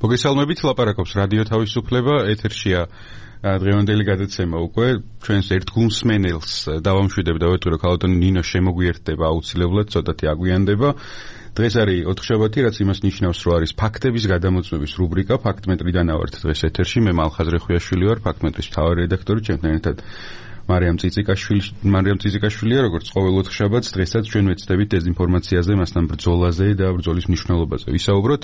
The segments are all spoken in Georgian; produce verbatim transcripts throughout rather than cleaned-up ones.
მოგესალმებით, ლაპარაკობს რადიო თავისუფლება, ეთერშია დღევანდელი გადაცემა უკვე ჩვენს ერთგულსმენელს დავამშვიდებ და ვეტყვი, რომ ქალბატონი ნინო შემოგვიერთდება აუცილებლად, ცოტათი აგვიანდება. დღეს არის ოთხშაბათი, რაც იმას ნიშნავს, რომ არის ფაქტების გადამოწმების რუბრიკა, ფაქტმეტრიდან ავართ დღეს ეთერში, მე მალხაზ რეხვიაშვილი ვარ, ფაქტმეტრის მთავარი რედაქტორი, ჩემთან ერთად მარიამ წიწიკაშვილი, მარიამ წიწიკაშვილია, როგორც ყოველ ოთხშაბათს, დღესაც ჩვენ ვეცდებით დეზინფორმაციაზე, მასთან ბრძოლაზე და ბრძოლის მნიშვნელობაზე ვისაუბროთ.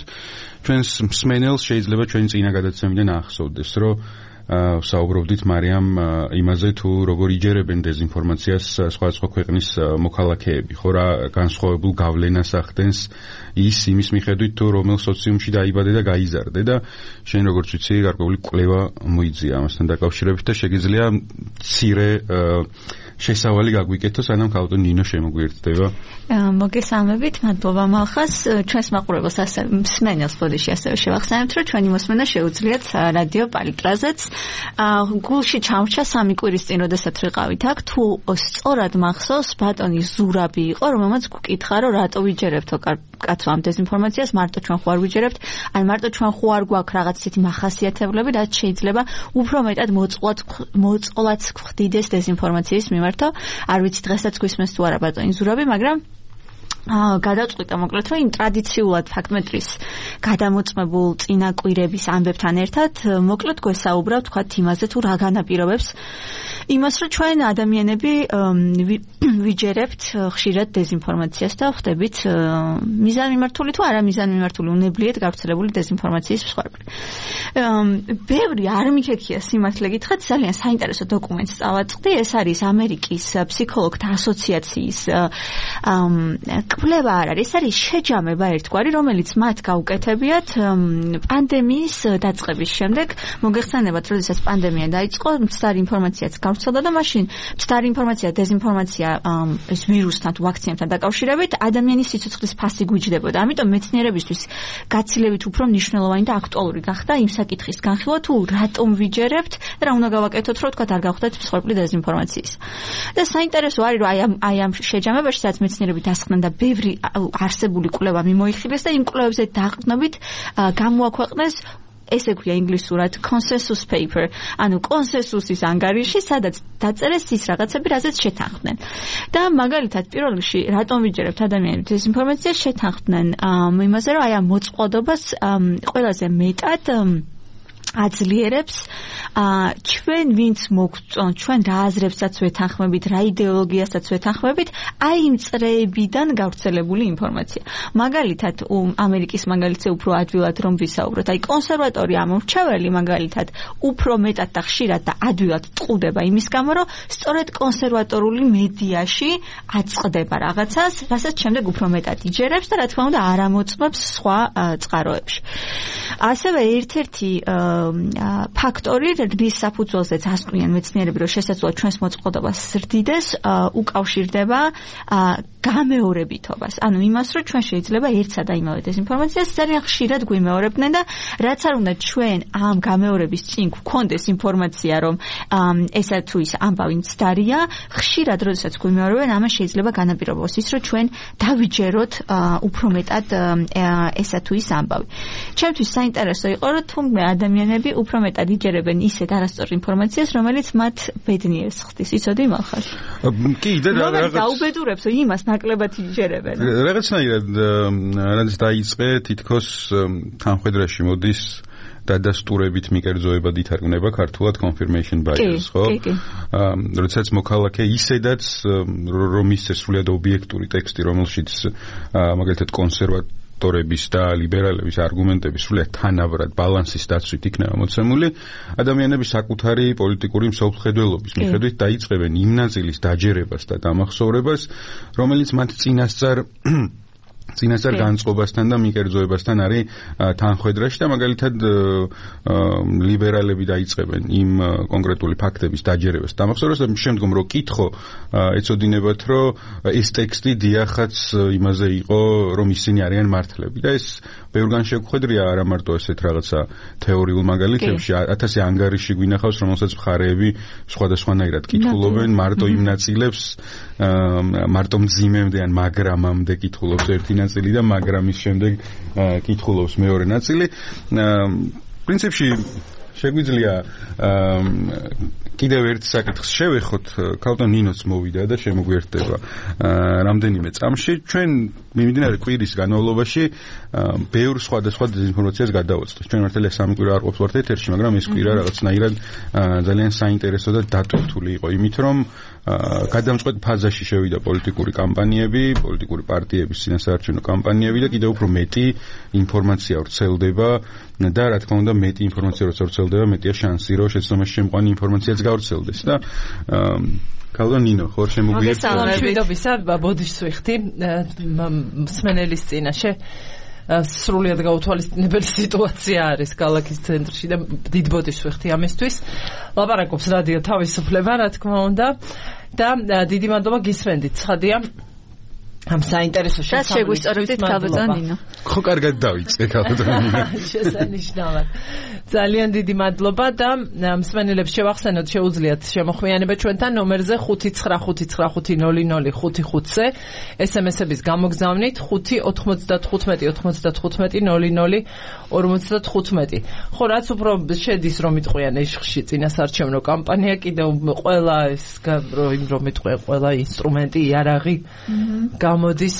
ჩვენს მსმენელს შეიძლება ჩვენი წინა გადაცემიდან ახსოვდეს, რომ საუბრობდით მარიამ იმაზე, თუ როგორ იჯერებენ დეზინფორმაციას სხვადასხვა ქვეყნის მოქალაქეები, ხო რა განსხვავებულ გავლენას ახდენს ის იმის მიხედვით, თუ რომელ სოციუმში დაიბადე და გაიზარდე და შენ როგორც ვიცი, გარკვეული კვლევა მოიძია ამასთან დაკავშირებით და შეგიძლია მცირე შესავალი გაგვიკეთო, სანამ ქალბატონი ნინო შემოგვიერთდება. მოგესალმებით, მადლობა მალხაზ. ჩვენს მაყურებელს ასე მსმენელს ბოდიში ასევე შევახსენებთ, რომ ჩვენი მოსმენა შეუძლიათ რადიო პალიტრაზეც. გულში ჩამრჩა სამი კვირის წინ, როდესაც ვიყავით აქ, თუ სწორად მახსოვს, ბატონი ზურაბი იყო, რომელმაც გვკითხა, რომ რატო ვიჯერებთო კაცო ამ დეზინფორმაციას, მარტო ჩვენ ხო არ ვიჯერებთ, ან მარტო ჩვენ ხო არ გვაქვს რაღაც ისეთი მახასიათებლები, რაც შეიძლება უფრო მეტად მოწყვლად მოწყვლად გვხდიდეს დეზინფორმაციის მიმართ. არ ვიცი დღესაც გვისმენს თუ არა ბატონი ზურაბი, მაგრამ გადავწყვიტა მოკლედ, რომ იმ ტრადიციულად ფაქტმეტრის გადამოწმებულ წინაკვირების ამბებთან ერთად მოკლედ გვესაუბრა თქვათ იმაზე, თუ რა განაპირობებს იმას, რომ ჩვენ ადამიანები ვიჯერებთ ხშირად დეზინფორმაციას და ხდებით მიზანმიმართული თუ არა მიზანმიმართული უნებლიეთ გავრცელებული დეზინფორმაციის მსხვერპლი. ბევრი არ მიქექია სიმართლე გითხრათ, ძალიან საინტერესო დოკუმენტს წავაწყდი, ეს არის ამერიკის ფსიქოლოგთა ასოციაციის კვლევა არ არის, ეს არის შეჯამება ერთგვარი, რომელიც მათ გაუკეთებიათ პანდემიის დაწყების შემდეგ. მოგეხსენებათ, როდესაც პანდემია დაიწყო, მცდარი ინფორმაციაც გავრცელდა და მაშინ მცდარი ინფორმაცია, დეზინფორმაცია ეს ვირუსთან თუ ვაქცინებთან დაკავშირებით ადამიანის სიცოცხლის ფასი გვიჯდებოდა. ამიტომ მეცნიერებისთვის გაცილებით უფრო მნიშვნელოვანი და აქტუალური გახდა იმ საკითხის განხილვა, თუ რატომ ვიჯერებთ და რა უნდა გავაკეთოთ, რომ თქვა არ გავხდეთ მსხვერპლი დეზინფორმაციის. და საინტერესო არის, რომ აი ამ აი ამ შეჯამებაში, სადაც მეცნიერები დასხდნენ და ბევრი არსებული კვლევა მიმოიხილეს და იმ კვლევებზე დაყრდნობით გამოაქვეყნეს ესე ქვია ინგლისურად consensus paper, ანუ კონსენსუსის ანგარიში, სადაც დაწერეს ის რაღაცები, რაზეც შეთანხმდნენ. და მაგალითად პირველ რიგში რატომ ვიჯერებთ ადამიანებს დეზინფორმაციას, შეთანხმდნენ იმაზე, რომ აი ამ მოწყვლადობას ყველაზე მეტად აძლიერებს ჩვენ ვინც მოგწონთ, ჩვენ რა აზრებსაც ვეთანხმებით, რა იდეოლოგიასაც ვეთანხმებით, აი იმ წრეებიდან გავრცელებული ინფორმაცია. მაგალითად, ამერიკის მაგალითზე უფრო ადვილად რომ ვისაუბროთ, აი კონსერვატორი ამორჩეველი მაგალითად უფრო მეტად და ხშირად და ადვილად ტყუდება იმის გამო, რომ სწორედ კონსერვატორული მედიაში აწყდება რაღაცას, რასაც შემდეგ უფრო მეტად იჯერებს და რა თქმა უნდა არ ამოწმებს სხვა წყაროებში. ასევე ერთ-ერთი ფაქტორი, რის საფუძველზეც ასკვნიან მეცნიერები, რომ შესაძლოა ჩვენს მოწყვლადობას ზრდიდეს, უკავშირდება გამეორებითობას. ანუ იმას, რომ ჩვენ შეიძლება ერთსა და იმავე დეზინფორმაციას ძალიან ხშირად გვიმეორებდნენ და რაც არ უნდა ჩვენ ამ გამეორების წინ გვქონდეს ინფორმაცია, რომ ესა თუ ის ამბავი მცდარია, ხშირად როდესაც გვიმეორებენ, ამას შეიძლება განაპირობოს ის, რომ ჩვენ დავიჯეროთ უფრო მეტად ესა თუ ის ამბავი. ჩემთვის საინტერესო იყო, რომ თუმცა ადამიანები უფრო მეტად იჯერებენ ისეთ არასწორ ინფორმაციას, რომელიც მათ ბედნიერს ხდის. იცოდი მალხაზ? კი, და რაღაც დაუბედურებს, რომ იმას ნაკლებად იჯერებენ. რაღაცნაირად რაც დაიწყე, თითქოს თანხმედრაში მოდის დადასტურებით მიკერძოებად ითარგმნება ქართულად confirmation bias, ხო? როდესაც მოქალაქე ისედაც რომ ისე სრულიად ობიექტური ტექსტი, რომელშიც მაგალითად კონსერვატორების და ლიბერალების არგუმენტები სრულიად თანაბრად ბალანსის დაცვით იქნება მოცემული, ადამიანები საკუთარი პოლიტიკური მსოფლმხედველობის მიხედვით დაიწყებენ იმ ნაწილის დაჯერებას და დამახსოვრებას, რომელიც მათ წინასწარ წინასწარ განწყობასთან და მიკერძოებასთან არის თანხმედრაში და მაგალითად ლიბერალები დაიწყებენ იმ კონკრეტული ფაქტების დაჯერებას დამახსოვრებას და შემდგომ რო კითხო ეცოდინებათ, რომ ეს ტექსტი დიახაც იმაზე იყო, რომ ისინი არიან მართლები და ეს ბევრგან შეგვხედრია არა მარტო ესეთ რაღაცა თეორიულ მაგალითებში, ათასი ანგარიში გვინახავს, რომელსაც მხარეები სხვადასხვანაირად კითხულობენ, მარტო იმ ნაწილებს, მარტო მძიმემდე ან მაგრამამდე კითხულობს ერთი ერთი ნაწილი და მაგრამ ის შემდეგ კითხულობს მეორე ნაწილი. პრინციპში შეგვიძლია კიდევ ერთ საკითხს შევეხოთ, ქალბატონ ნინოც მოვიდა და შემოგვიერთდება რამდენიმე წამში. ჩვენ მიმდინარე კვირის განმავლობაში ბევრ სხვადასხვა დეзинფორმაციას გადავაწყდით. ჩვენ მართალია სამი კვირა არ ყოფს ვართ ეთერში, მაგრამ ეს კვირა რაღაცნაირად ძალიან საინტერესო და დატვირთული იყო, იმით რომ გადამწყვეტ ფაზაში შევიდა პოლიტიკური კამპანიები, პოლიტიკური პარტიების წინასაარჩევნო კამპანიები და კიდევ უფრო მეტი ინფორმაცია ვრცელდება და რა თქმა უნდა მეტი ინფორმაცია როცა ვრცელდება, მეტია შანსი რომ შეცდომაში შემყვანი ინფორმაციაც გავრცელდეს და ქალბატონ ნინო, ხარ შემოგვიერთდა? მოგესალმებით, ბოდიშს ვიხდი მსმენელის წინაშე. სრულიად გაუთვალისწინებელი სიტუაცია არის ქალაქის ცენტრში და დიდ ბოდიშს ვიხდი ამისთვის. ლაპარაკობს რადიო თავისუფლება, რა თქმა უნდა და დიდი მადლობა გისმენდით. ცხადია ამ საინტერესო შესაძლებლად შეგვისწორებთ ქალბატონ ნინო. ხო, კარგად დავიწყე ქალბატონ ნინო. შესანიშნავად. ძალიან დიდი მადლობა და მსმენელებს შევახსენოთ, შეუძლიათ შემოხვიანება ჩვენთან ნომერზე ხუთი ცხრა ხუთი ცხრა ხუთი ნული ნული ხუთი ხუთზე ესემესების გამოგზავნით ხუთი ოთხმოცდათხუთმეტი ოთხმოცდათხუთმეტი ნული ნული ორმოცდათხუთმეტი. ხო, რაც უფრო შედის რომ იტყვიან ეშხში წინასაარჩევნო კამპანია, კიდევ ყველა ეს რომ იტყვიან ყველა ინსტრუმენტი, იარაღი გამოდის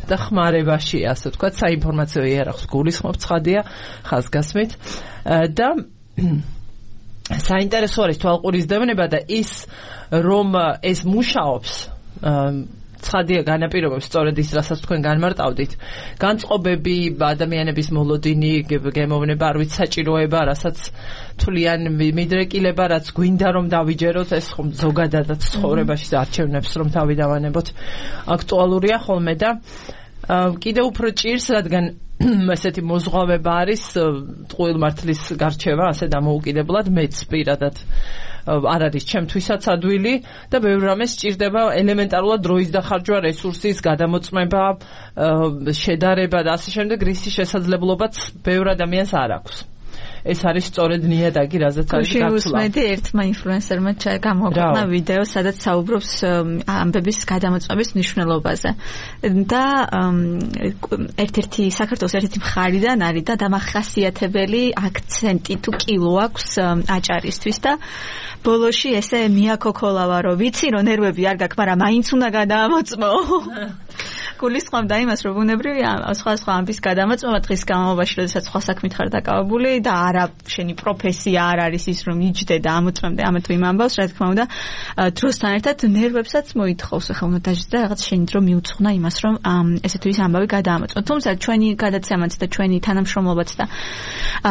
და ხმარებაში, ასე ვთქვათ, საინფორმაციო იარაღს გულისხმობ, ცხადია, ხაზგასმით და საინტერესო არის თვალყურისდევნება და ის რომ ეს მუშაობს ცხადია განაპირობებს სწორედ ის, რასაც თქვენ განმარტავდით. განწყობები, ადამიანების მოლოდინი, გემოვნება, არ ვიცი, საჭიროება, რასაც თვლიან მიდრეკილება, რაც გვინდა რომ დავიჯეროთ, ეს ხომ ზოგადადაც ცხოვრებაში არჩევნებს რომ თავი დავანებოთ, აქტუალურია ხოლმე და კიდევ უფრო ჭირს, რადგან ესეთი მოზღვავება არის ტყუილმართლის გარჩევა, ასე დამოუკიდებლად მეც პირადად არ არის ჩემთვისაც ადვილი და ბევრ რამეს სჭირდება ელემენტარულად დროის დახარჯვა, რესურსის გადამოწმება, შედარება და ასე შემდეგ, რის შესაძლებლობაც ბევრ ადამიანს არ აქვს. ეს არის სწორედ ნიადაგი, რაზეც არის გაცვლა. შეუსმედი ერთმა ინფლუენსერმა გამოაქვეყნა ვიდეო, სადაც საუბრობს ამბების გადამოწმების მნიშვნელობაზე. და ერთ-ერთი საქართველოს ერთ-ერთი მხარიდან არის და დამახასიათებელი აქცენტი თუ კილო აქვს აჭარისთვის და ბოლოში ესე მიაკოქოლავა, რომ ვიცი, რომ ნერვები არ გაქვს, მაგრამ მაინც უნდა გადაამოწმო. გულისხმობდა იმას, რომ ბუნებრივია სხვა სხვა ამბის გადამოწმება დღის განმავლობაში, როდესაც სხვა საქმით ხარ დაკავებული და არა შენი პროფესია არ არის ის, რომ იჯდე და ამოწმემდე ამ თუ იმ ამბავს, რა თქმა უნდა, დროსთან ერთად ნერვებსაც მოითხოვს, ახლა უნდა დაждდა რაღაც შენი დრო მიუძღვნა იმას, რომ ესე თუ ის ამბავი გადაამოწმო. თუმცა ჩვენი გადაცემაც და ჩვენი თანამშრომლობაც და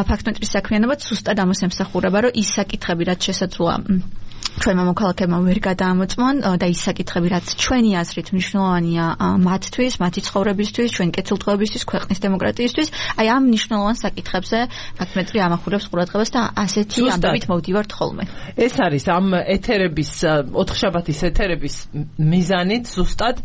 ფაქტმეტრის საქმიანობაც სუსტად ამას ემსახურება, რომ ის საკითხები, რაც შესაძლოა ჩვენმა მოქალაქეებმა ვერ გადაამოწმონ და ის საკითხები, რაც ჩვენი აზრით მნიშვნელოვანია მათთვის, მათი ცხოვრებისთვის, ჩვენი კეთილდღეობისთვის, ქვეყნის დემოკრატიისთვის, აი ამ მნიშვნელოვან საკითხებზე ფაქტმეტრი ამახვილებს ყურადღებას და ასეთი ამბებით მოვდივართ ხოლმე. ეს არის ამ ეთერების, ოთხშაბათის ეთერების მიზანით ზუსტად,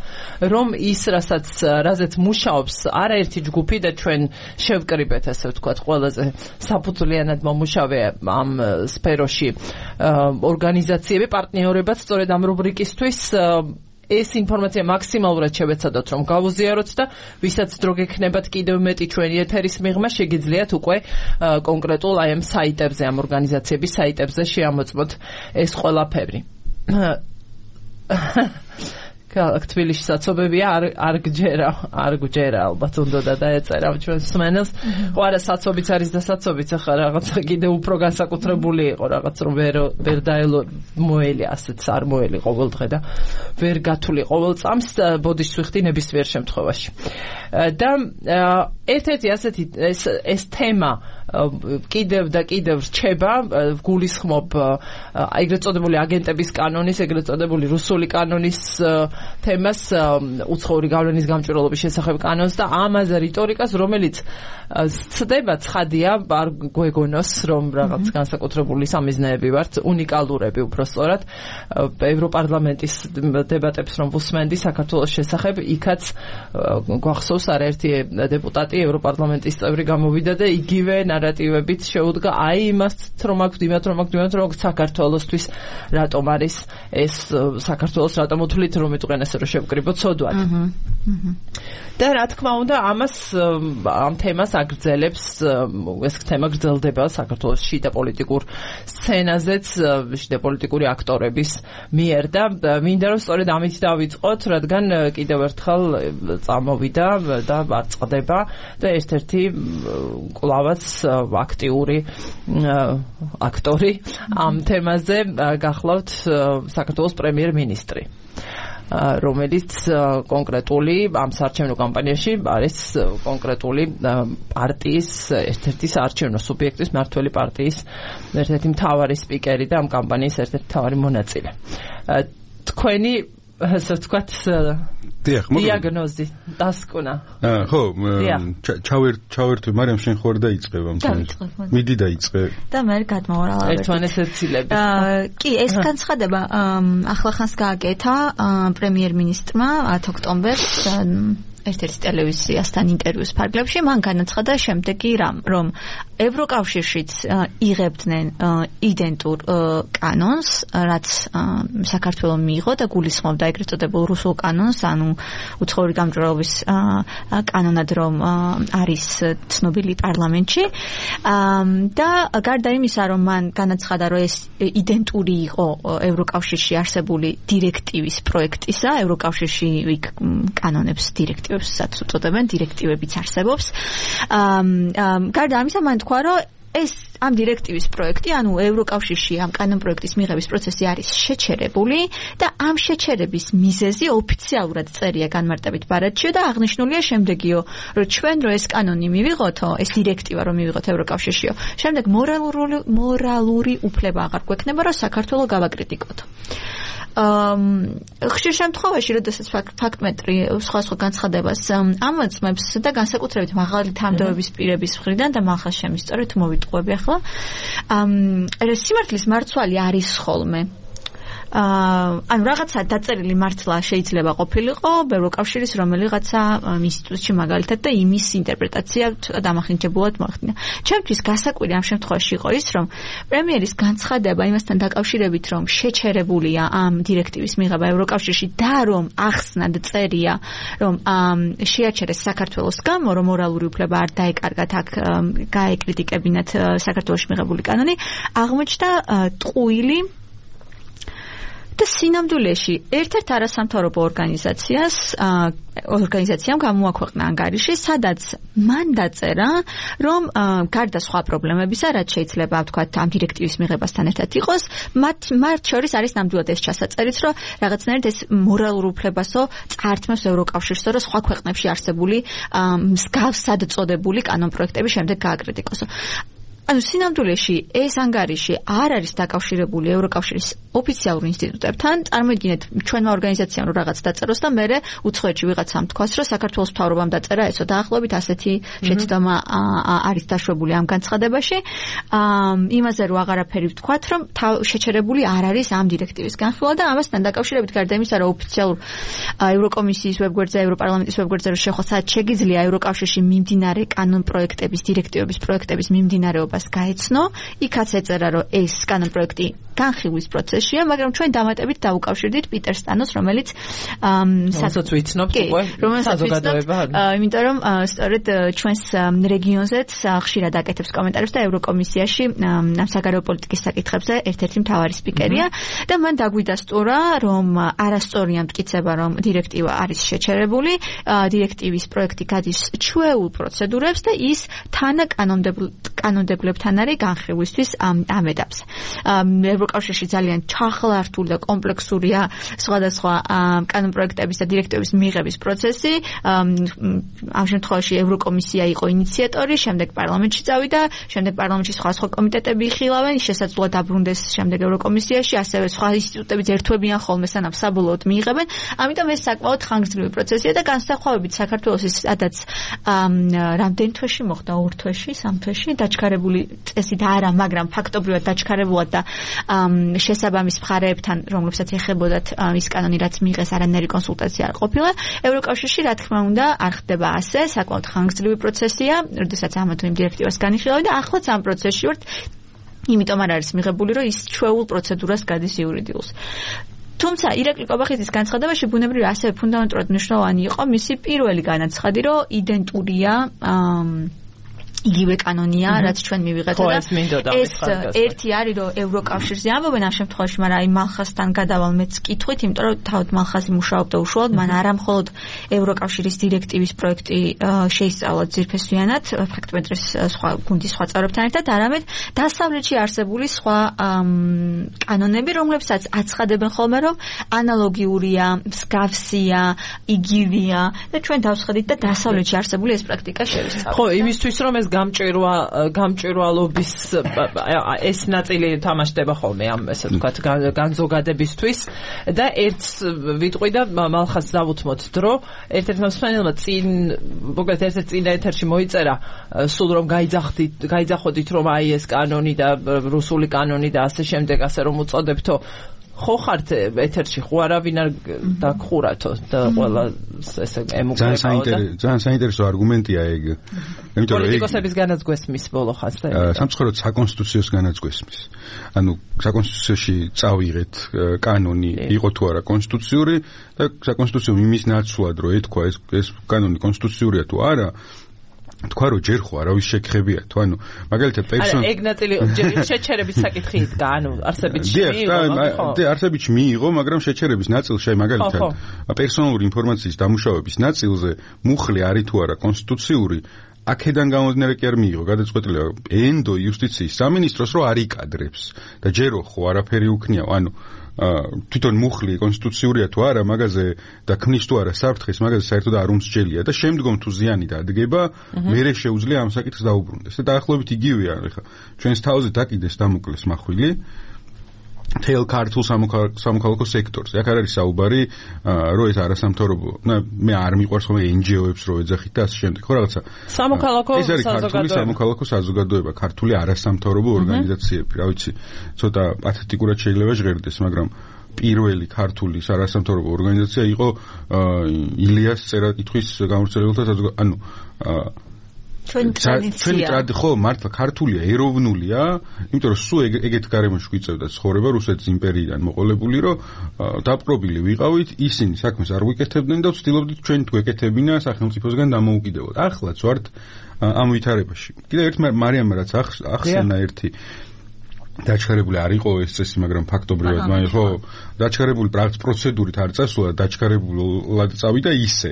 რომ ის, რასაც რაზეც მუშაობს არაერთი ჯგუფი და ჩვენ შევკრიბეთ, ასე ვთქვათ, ყველაზე საფუძვლიანად მომუშავე ამ სფეროში ორგანიზაციები, პარტნიორებად სწორედ ამ რუბრიკისთვის ეს ინფორმაცია მაქსიმალურად შევეცადოთ რომ გავუზიაროთ და ვისაც დრო გექნებათ კიდევ მეტი ჩვენი ეთერის მიღმა შეგიძლიათ უკვე კონკრეტულ აი ამ საიტებზე, ამ ორგანიზაციების საიტებზე შეამოწმოთ ეს ყველაფერი. ქალაქ თბილისში საცობებია არ არ გჯერა, არ გჯერა ალბათ უნდა დაეწერა ჩვენ სმენელს. ხო არა, საცობიც არის და საცობიც ახლა რაღაცა კიდევ უფრო განსაკუთრებული იყო, რაღაც რომ ვერ ვერ დაელო მოელი, ასეც არ მოელი ყოველდღე და ვერ გათვლი ყოველ წამს ბოდიშს ვიხდი ნებისმიერ შემთხვევაში. და ერთ-ერთი ასეთი ეს ეს თემა კიდევ და კიდევ რჩება, გულისხმობ ეგრეთ წოდებული აგენტების კანონის, ეგრეთ წოდებული რუსული კანონის თემას, უცხოური გავლენის გამჭვირვალობის შესახებ კანონს და ამაზე რიტორიკას, რომელიც ცდება ცხადია, არ გვეგონოს, რომ რაღაც განსაკუთრებული სამიზნეები ვართ, უნიკალურები უბრალოდ ევროპარლამენტის დებატებს რომ ვუსმენდი საქართველოს შესახებ, იქაც გვახსოვს არაერთი დეპუტატი ევროპარლამენტის წევრი გამოვიდა და იგივე ნარატივებით შეუდგა აი იმას რომ აქვს, იმათ რომ აქვს, იმათ რომ აქვს საქართველოსთვის რატომ არის ეს საქართველოს რატომ უთვლით რომ იტყვიან ესე რომ შევკრიბოთ ცოდვად. და რა თქმა უნდა ამას ამ თემას აგრძელებს ეს თემა გრძელდება საქართველოს შიდა პოლიტიკურ სცენაზეც შიდა პოლიტიკური აქტორების მიერ და მინდა რომ სწორედ ამით დავიწყოთ, რადგან კიდევ ერთხელ წამოვიდა და აწყდება და ერთ-ერთი კვლავაც აქტიური აქტორი ამ თემაზე გახლავთ საქართველოს პრემიერ-მინისტრი, რომელიც კონკრეტული ამ საარჩევნო კამპანიაში არის კონკრეტული პარტიის ერთ-ერთი საარჩევნო სუბიექტის მმართველი პარტიის ერთ-ერთი მთავარი სპიკერი და ამ კამპანიის ერთ-ერთი მთავარი მონაწილე. თქვენი ასე ვთქვათ დიაგნოზი დასკვნა. ხო, ჩავერ ჩავერთვი, მაგრამ შენ ხوار დაიწყებ ამ თემას. მიდი დაიწყე. და მე გადმოვარალა. ერთმანეთს ეცილებით. კი, ეს განცხადება ახლახანს გააკეთა პრემიერ-მინისტრმა ათი ოქტომბერს ერთ-ერთი ტელევიზიასთან ინტერვიუს ფარგლებში. მან განაცხადა შემდეგი რამ, რომ ევროკავშირშიც იღებდნენ იდენტურ კანონს, რაც საქართველოს მიიღო და გულისხმობდა ეგრეთ წოდებულ რუსულ კანონს, ანუ უცხოური გამჭვირვალობის კანონად, რომ არის ცნობილი პარლამენტში. და გარდა იმისა, რომ მან განაცხადა, რომ ეს იდენტური იყო ევროკავშირში არსებული დირექტივის პროექტისა, ევროკავშირში კანონებს დირექტივებს უწოდებენ, დირექტივებიც არსებობს. გარდა ამისა, მან თქვა, რომ ეს ამ დირექტივის პროექტი, ანუ ევროკავშირში ამ კანონპროექტის მიღების პროცესი არის შეჩერებული და ამ შეჩერების მიზეზი ოფიციალურად წერია განმარტებით ბარათშიო და აღნიშნულია შემდეგიო, რომ ჩვენ რო ეს კანონი მივიღოთო, ეს დირექტივა რომ მივიღოთ ევროკავშირშიო, შემდეგ მორალური მორალური უფლება აღარ გვექნება, რომ საქართველოს გავაკრიტიკოთ. ხშირ შემთხვევაში, როდესაც ფაქტმეტრი სხვა სხვა განცხადებას ამოწმებს და განსაკუთრებით მაღალი თანამდებობის პირების მხრიდან და მახას შემისწორე თუ მოვიტყუები ახლა, სიმართლის მარცვალი არის ხოლმე. ანუ რაღაცა დაწერილი მართლა შეიძლება ყოფილიყო ევროკავშირის რომელიღაცა ინსტიტუტში მაგალითად და იმის ინტერპრეტაცია დამახინჯებულად მოახდინა. ჩემთვის გასაკვირი ამ შემთხვევაში იყო ის, რომ პრემიერის განცხადება იმასთან დაკავშირებით, რომ შეჩერებულია ამ დირექტივის მიღება ევროკავშირში და რომ ახსნად წერია, რომ შეაჩერეს საქართველოს გამო, რომ მორალური უფლება არ დაეკარგათ აქ გაეკრიტიკებინათ საქართველოში მიღებული კანონი, აღმოჩნდა ტყუილი და სინამდვილეში ერთ-ერთ არასამთავრობო ორგანიზაციას ორგანიზაციამ გამოაქვეყნა ანგარიში, სადაც მან დაწერა, რომ გარდა სხვა პრობლემებისა, რაც შეიძლება ვთქვათ ამ დირექტივის მიღებასთან ერთად იყოს, მათ მათ შორის არის ნამდვილად ეს ჩასაწერიც, რომ რაღაცნაირად ეს მორალურ უფლებასო წაართმევს ევროკავშირსო, რომ სხვა ქვეყნებში არსებული მსგავსად წოდებული კანონპროექტები შემდეგ გააკრიტიკოსო. ანუ სინამდვილეში ეს ანგარიში არ არის დაკავშირებული ევროკავშირის ოფიციალურ ინსტიტუტებთან. წარმოიდგინეთ, ჩვენმა ორგანიზაციამ რომ რაღაც დაწეროს და მერე უცხოეთში ვიღაცამ თქვას, რომ საქართველოს მთავრობამ დაწერა ესო, დაახლოებით ასეთი შეცდომა არის დაშვებული ამ განცხადებაში. იმაზე რომ აღარაფერი ვთქვათ, რომ შეჩერებული არ არის ამ დირექტივის განხილვა და ამასთან დაკავშირებით გარდა იმისა, რომ ოფიციალურ ევროკომისიის ვებგვერდზე, ევროპარლამენტის ვებგვერდზე რომ შეხვა, სადაც შეგიძლია ევროკავშირში მიმდინარე კანონპროექტების, დირექტივების პროექტების მიმდინარეობა გაეცნო, იქაც ეწერა, რომ ეს კანონპროექტი განხილვის პროცესია, მაგრამ ჩვენ დამატებით დაუკავშირდით პიტერ სტანოს, რომელიც სასაც ვიცნობთ უკვე საზოგადოება. იმიტომ რომ სწორედ ჩვენს რეგიონზეც ხშირად აკეთებს კომენტარებს და ევროკომისიაში საგარეო პოლიტიკის საკითხებზე ერთ-ერთი მთავარი სპიკერია და მან დაგვიდასტურა, რომ არასწორია მტკიცება, რომ დირექტივა არის შეჩერებული, დირექტივის პროექტი გადის ჩვეულ პროცედურებს და ის თანა კანონმდებლებთან არის განხილვისთვის ამ ეტაპზე. ევროკავშირში ძალიან ჩახლართული და კომპლექსურია სხვადასხვა კანონპროექტების და დირექტივების მიღების პროცესი. ამ შემთხვევაში ევროკომისია იყო ინიციატორი, შემდეგ პარლამენტში წავიდა, შემდეგ პარლამენტში სხვა სხვა კომიტეტები იხილავენ, შესაძლოა დაბრუნდეს შემდეგ ევროკომისიაში, ასევე სხვა ინსტიტუტებიც ერთვებიან ხოლმე სანამ საბოლოოდ მიიღებენ. ამიტომ ეს საკმაოდ ხანგრძლივი პროცესია და განსხვავებით საქართველოს სადაც რამდენ თვეში მოხდა, ორ თვეში, სამ თვეში დაჩქარებული წესით არა, მაგრამ ფაქტობრივად დაჩქარებულად და შესაბამის მხარეებთან, რომლებსაც ეხებოდათ ის კანონი, რაც მიიღეს, არანაირი კონსულტაცია არ ყოფილა. ევროკავშირში, რა თქმა უნდა, არ ხდება ასე, საკმაოდ ხანგრძლივი პროცესია, როდესაც ამ თუ იმ დირექტივას განიხილავენ და ახლაც ამ პროცესში ვართ, იმიტომ არ არის მიღებული, რომ ის ჩვეულ პროცედურას გადის იურიდიულს. თუმცა ირაკლი კობახიძის განცხადებაში ბუნებრივი ასევე ფუნდამენტურად მნიშვნელოვანი იყო მისი პირველი განაცხადი, რომ იდენტურია იგივე კანონია, რაც ჩვენ მივიღეთ და ეს ერთი არის, რომ ევროკავშირზე ამბობენ ამ შემთხვევაში, მაგრამ აი მალხასთან გადავალ მეც კითხვით, იმიტომ რომ თავად მალხასი მუშაობდა უშუალოდ, მან არა მხოლოდ ევროკავშირის დირექტივის პროექტი შეისწავლა ძირფესვიანად, ფაქტმეტრის სხვა გუნდის სხვა წევრებთან ერთად, არამედ დასავლეთში არსებული სხვა კანონები, რომლებსაც აცხადებენ ხოლმე, რომ ანალოგიურია, მსგავსია, იგივეა და ჩვენ დავსხედით და დასავლეთში არსებული ეს პრაქტიკა შევისწავლეთ. ხო, იმისთვის რომ ეს გამჭირვა გამჭირვალობის ეს ნაწილი თამაშდება ხოლმე ამ ესე ვთქვათ განზოგადებისთვის და ერთს ვიტყვი და მალხას დავუთმოთ დრო ერთ-ერთმა მსმენელმა წინ მოგეთ ერთ-ერთ წინ ეთერში მოიწერა სულ რომ გაიძახდით გაიძახოდით რომ აი ეს კანონი და რუსული კანონი და ასე შემდეგ ასე რომ უწოდებთო ხო ხართ ეთერში ხო არავინ არ დაგხურათო და ყველა ესე ემუქრებაო და ძალიან საინტერესო არგუმენტია ეგ. იმიტომ რომ პოლიტიკოსების განაცგვესმის ბოლო ხაზს და სამწუხაროდ საკონსტიტუციოს განაცგვესმის. ანუ საკონსტიტუციაში წავიღეთ კანონი იყო თუ არა კონსტიტუციური და საკონსტიტუციო იმის ნაცვლად რომ ეთქვა ეს ეს კანონი კონსტიტუციურია თუ არა თქვა რომ ჯერ ხო არავის შეკრებია თუ ანუ მაგალითად პერსონ არა ეგ ნაწილი შეჩერების საკითხი იდგა ანუ არსებით მიიღო და არსებით მიიღო მაგრამ შეჩერების ნაწილში მაგალითად პერსონალური ინფორმაციის დამუშავების ნაწილზე მუხლი არის თუ არა კონსტიტუციური აქედან გამომდინარე კი არ მიიღო გადაწყვეტილება ენდო იუსტიციის სამინისტროს რომ არ იკადრებს და ჯერო ხო არაფერი უქნიაო ანუ თვითონ მუხლი კონსტიტუციურია თუ არა მაგაზე და ქმნის თუ არა საფრთხეს მაგაზე საერთოდ არ უმსჯელია და შემდგომ თუ ზიანი დადგება მერე შეუძლია ამ საკითხს დაუბრუნდეს და დაახლოებით იგივეა ხა ჩვენს თავზე დაკიდეს დამოკლეს მახვილი თელ ქართულ სამოქალაქო სექტორს. აქ არ არის საუბარი, რომ ეს არასამთავრობო, მე არ მიყვარს ხოლმე εν ჯი ო-ებს რო ეძახით და ასე შემდეგ. ხო რაღაცა. სამოქალაქო ეს არის ქართული სამოქალაქო საზოგადოება, ქართული არასამთავრობო ორგანიზაციები, რა ვიცი, ცოტა პათეტიკურად შეიძლება ჟღერდეს, მაგრამ პირველი ქართული არასამთავრობო ორგანიზაცია იყო ილიას წერა-კითხვის გამავრცელებელთა საზოგადოება. ანუ ჩვენი ტრადიცია. ხო, მართლა ქართულია, ეროვნულია, იმიტომ რომ სულ ეგეთ გარემოში გვიწევდა ცხოვრება რუსეთის იმპერიიდან მოყოლებული, რომ დაპყრობილი ვიყავით, ისინი საქმეს არ ვიკეთებდნენ და ვცდილობდით ჩვენ გვეკეთებინა სახელმწიფოსგან დამოუკიდებლად. ახლაც ვართ ამ ვითარებაში. კიდევ ერთ მარიამ რაც ახსენა ერთი დაჩქარებული არ იყო ეს წესი, მაგრამ ფაქტობრივად მაინც ხო დაჩქარებული პროცედურით არ წასულა, დაჩქარებულად წავიდა ისე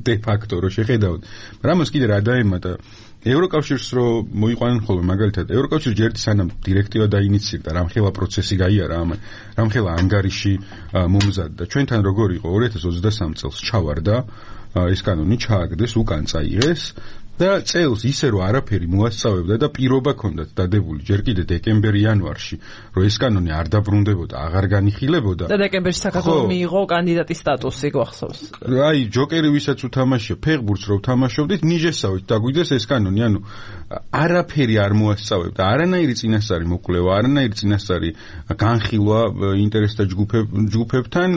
დე ფაქტო რომ შეხედავთ. მაგრამ ამას კიდე რა დაემატა ევროკავშირს რომ მოიყვანენ ხოლმე მაგალითად ევროკავშირი ჯერდი სანამ დირექტივა დაინიცირდა რამხელა პროცესი გაიარა ამ რამხელა ანგარიში მომზადდა ჩვენთან როგორ იყო ორი ათას ოცდასამი წელს ჩავარდა ეს კანონი ჩააგდეს უკან წაიღეს და წელს ისე რომ არაფერი მოასწავებდა და პირობა ჰქონდათ დადებული ჯერ კიდე დეკემბერ-იანვარში რომ ეს კანონი არ დაბრუნდებოდა, აღარ განიხილებოდა და დეკემბერში საქართველოს მიიღო კანდიდატის სტატუსი გახსოვს. აი ჯოკერი ვისაც უთამაშია, ფეხბურთს რო უთამაშობდით, ნიჟესავით დაგვიდეს ეს კანონი, ანუ არაფერი არ მოასწავებდა, არანაირი წინასწარი მოკვლევა, არანაირი წინასწარი განხილვა ინტერესთა ჯგუფებთან